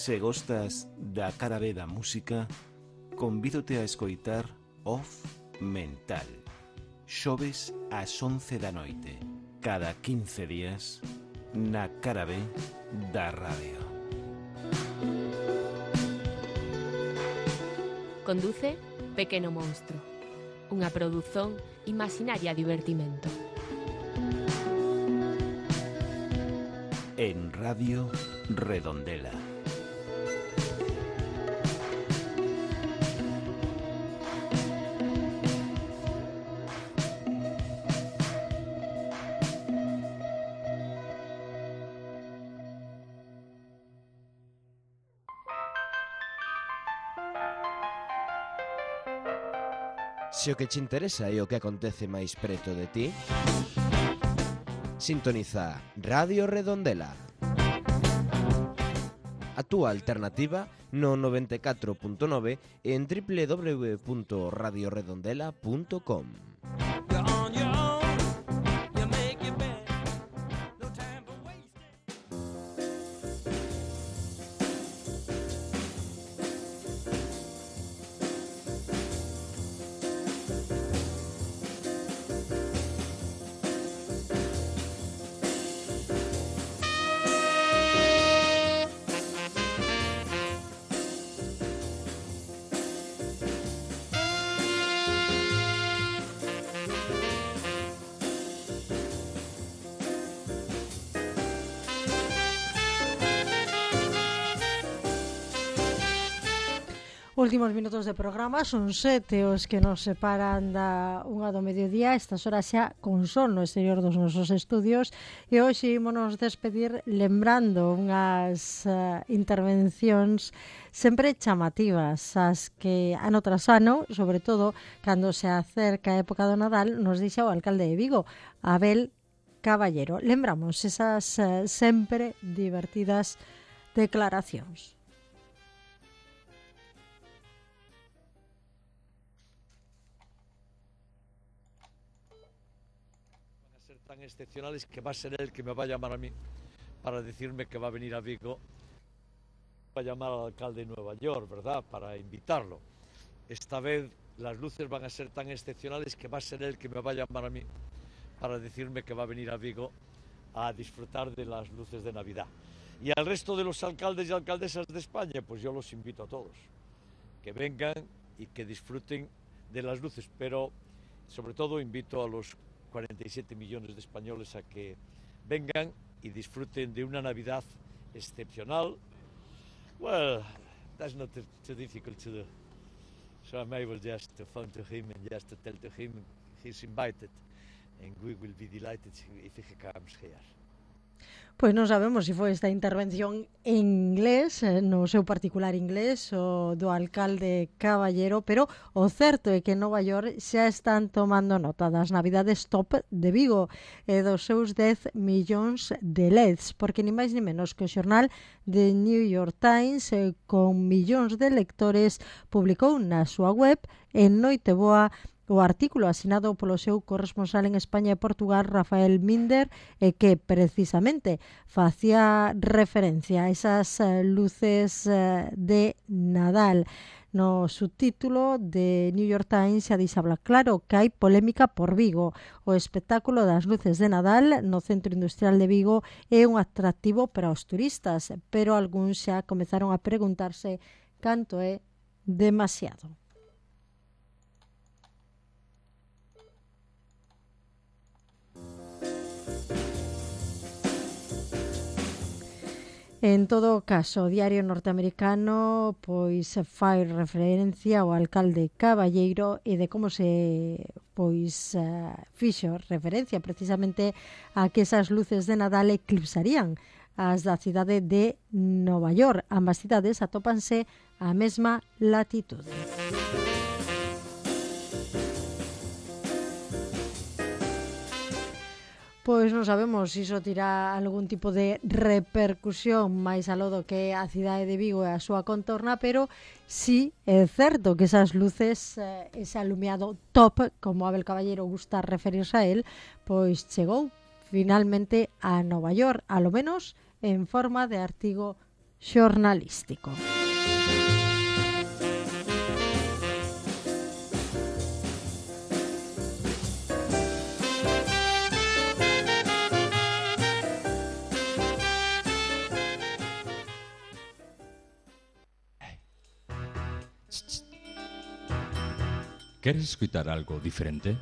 Se gostas da cara B da música, convídote a escoitar Off Mental, xoves ás once da noite, cada quince días, na cara B da radio. Conduce Pequeno Monstro, unha produción Imaginaria Divertimento. En Radio Redondela. Se o que te interesa é o que acontece máis preto de ti, sintoniza Radio Redondela. A túa alternativa no noventa e catro punto nove en doble u doble u doble u punto radio redondela punto com. Últimos minutos de programa, son sete os que nos separan da unha do mediodía, estas horas xa con sol no exterior dos nosos estudios, e hoxe ímonos despedir lembrando unhas uh, intervencións sempre chamativas, as que ano tras ano, sobre todo cando se acerca a época do Nadal, nos dixa o alcalde de Vigo, Abel Caballero. Lembramos esas uh, sempre divertidas declaracións. Tan excepcionales que va a ser él que me va a llamar a mí para decirme que va a venir a Vigo, va a llamar al alcalde de Nueva York, ¿verdad?, para invitarlo. Esta vez las luces van a ser tan excepcionales que va a ser él que me va a llamar a mí para decirme que va a venir a Vigo a disfrutar de las luces de Navidad. Y al resto de los alcaldes y alcaldesas de España, pues yo los invito a todos, que vengan y que disfruten de las luces, pero sobre todo invito a los cuarenta y siete millones de españoles a que vengan y disfruten de una Navidad excepcional. Well, that's not too, too difficult to do. So I'm able just to phone to him and just to tell to him he's invited, and we will be delighted if he comes here. Pois non sabemos se foi esta intervención en inglés, no seu particular inglés, o do alcalde Caballero, pero o certo é que en Nova York xa están tomando nota das Navidades top de Vigo e dos seus dez millóns de L E Ds, porque ni máis ni menos que o xornal de New York Times, eh, con millóns de lectores, publicou na súa web en Noiteboa o artículo asinado polo seu corresponsal en España e Portugal, Rafael Minder, e que precisamente facía referencia a esas luces de Nadal. No subtítulo de New York Times xa dixabla claro que hai polémica por Vigo. O espectáculo das luces de Nadal no Centro Industrial de Vigo é un atractivo para os turistas, pero algúns xa comezaron a preguntarse canto é demasiado. En todo caso, o diario norteamericano pois fai referencia ao alcalde Caballero e de como se pois uh, fixo referencia precisamente a que esas luces de Nadal eclipsarían as da cidade de Nova York. Ambas cidades atópanse á mesma latitude. Pois non sabemos se iso tira algún tipo de repercusión máis aló do que a cidade de Vigo e a súa contorna, pero sí é certo que esas luces, ese alumiado top, como Abel Caballero gusta referirse a él, pois chegou finalmente a Nova York, a lo menos en forma de artigo xornalístico. ¿Queres escuchar algo diferente?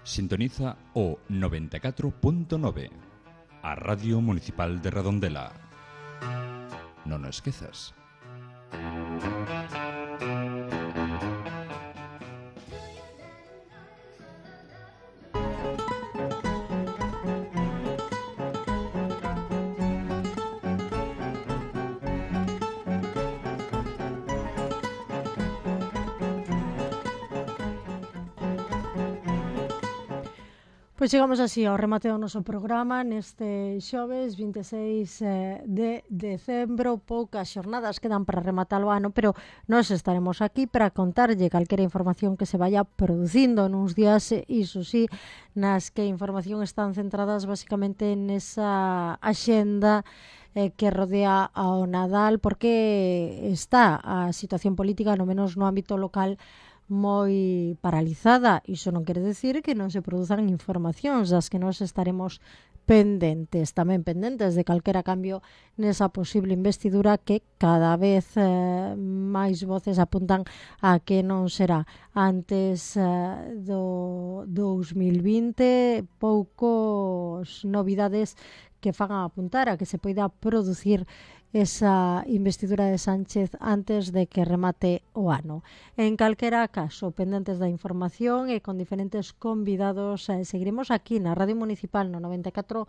Sintoniza o noventa e catro punto nove, a Radio Municipal de Redondela. Non o esquezas. Pois chegamos así ao remate do noso programa neste xoves vinte e seis de decembro. Poucas xornadas quedan para rematar o ano, pero nós estaremos aquí para contarlle calquera información que se vaya producindo nuns días, iso sí, nas que a información están centradas basicamente nesa axenda eh, que rodea ao Nadal, porque está a situación política, no menos no ámbito local, moi paralizada. Iso non quere decir que non se produzan informacións das que nós estaremos pendentes, tamén pendentes de calquera cambio nesa posible investidura que cada vez eh, máis voces apuntan a que non será antes eh, do dous mil vinte. Poucos novidades que fan a apuntar a que se poida producir esa investidura de Sánchez antes de que remate o ano. En calquera caso, pendentes da información e con diferentes convidados, eh, seguiremos aquí na Radio Municipal no noventa e catro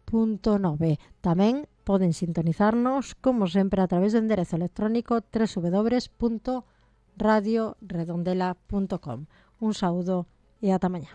punto nove. Tamén poden sintonizarnos, como sempre, a través do enderezo electrónico doble u doble u doble u punto radio redondela punto com. Un saúdo e ata mañá.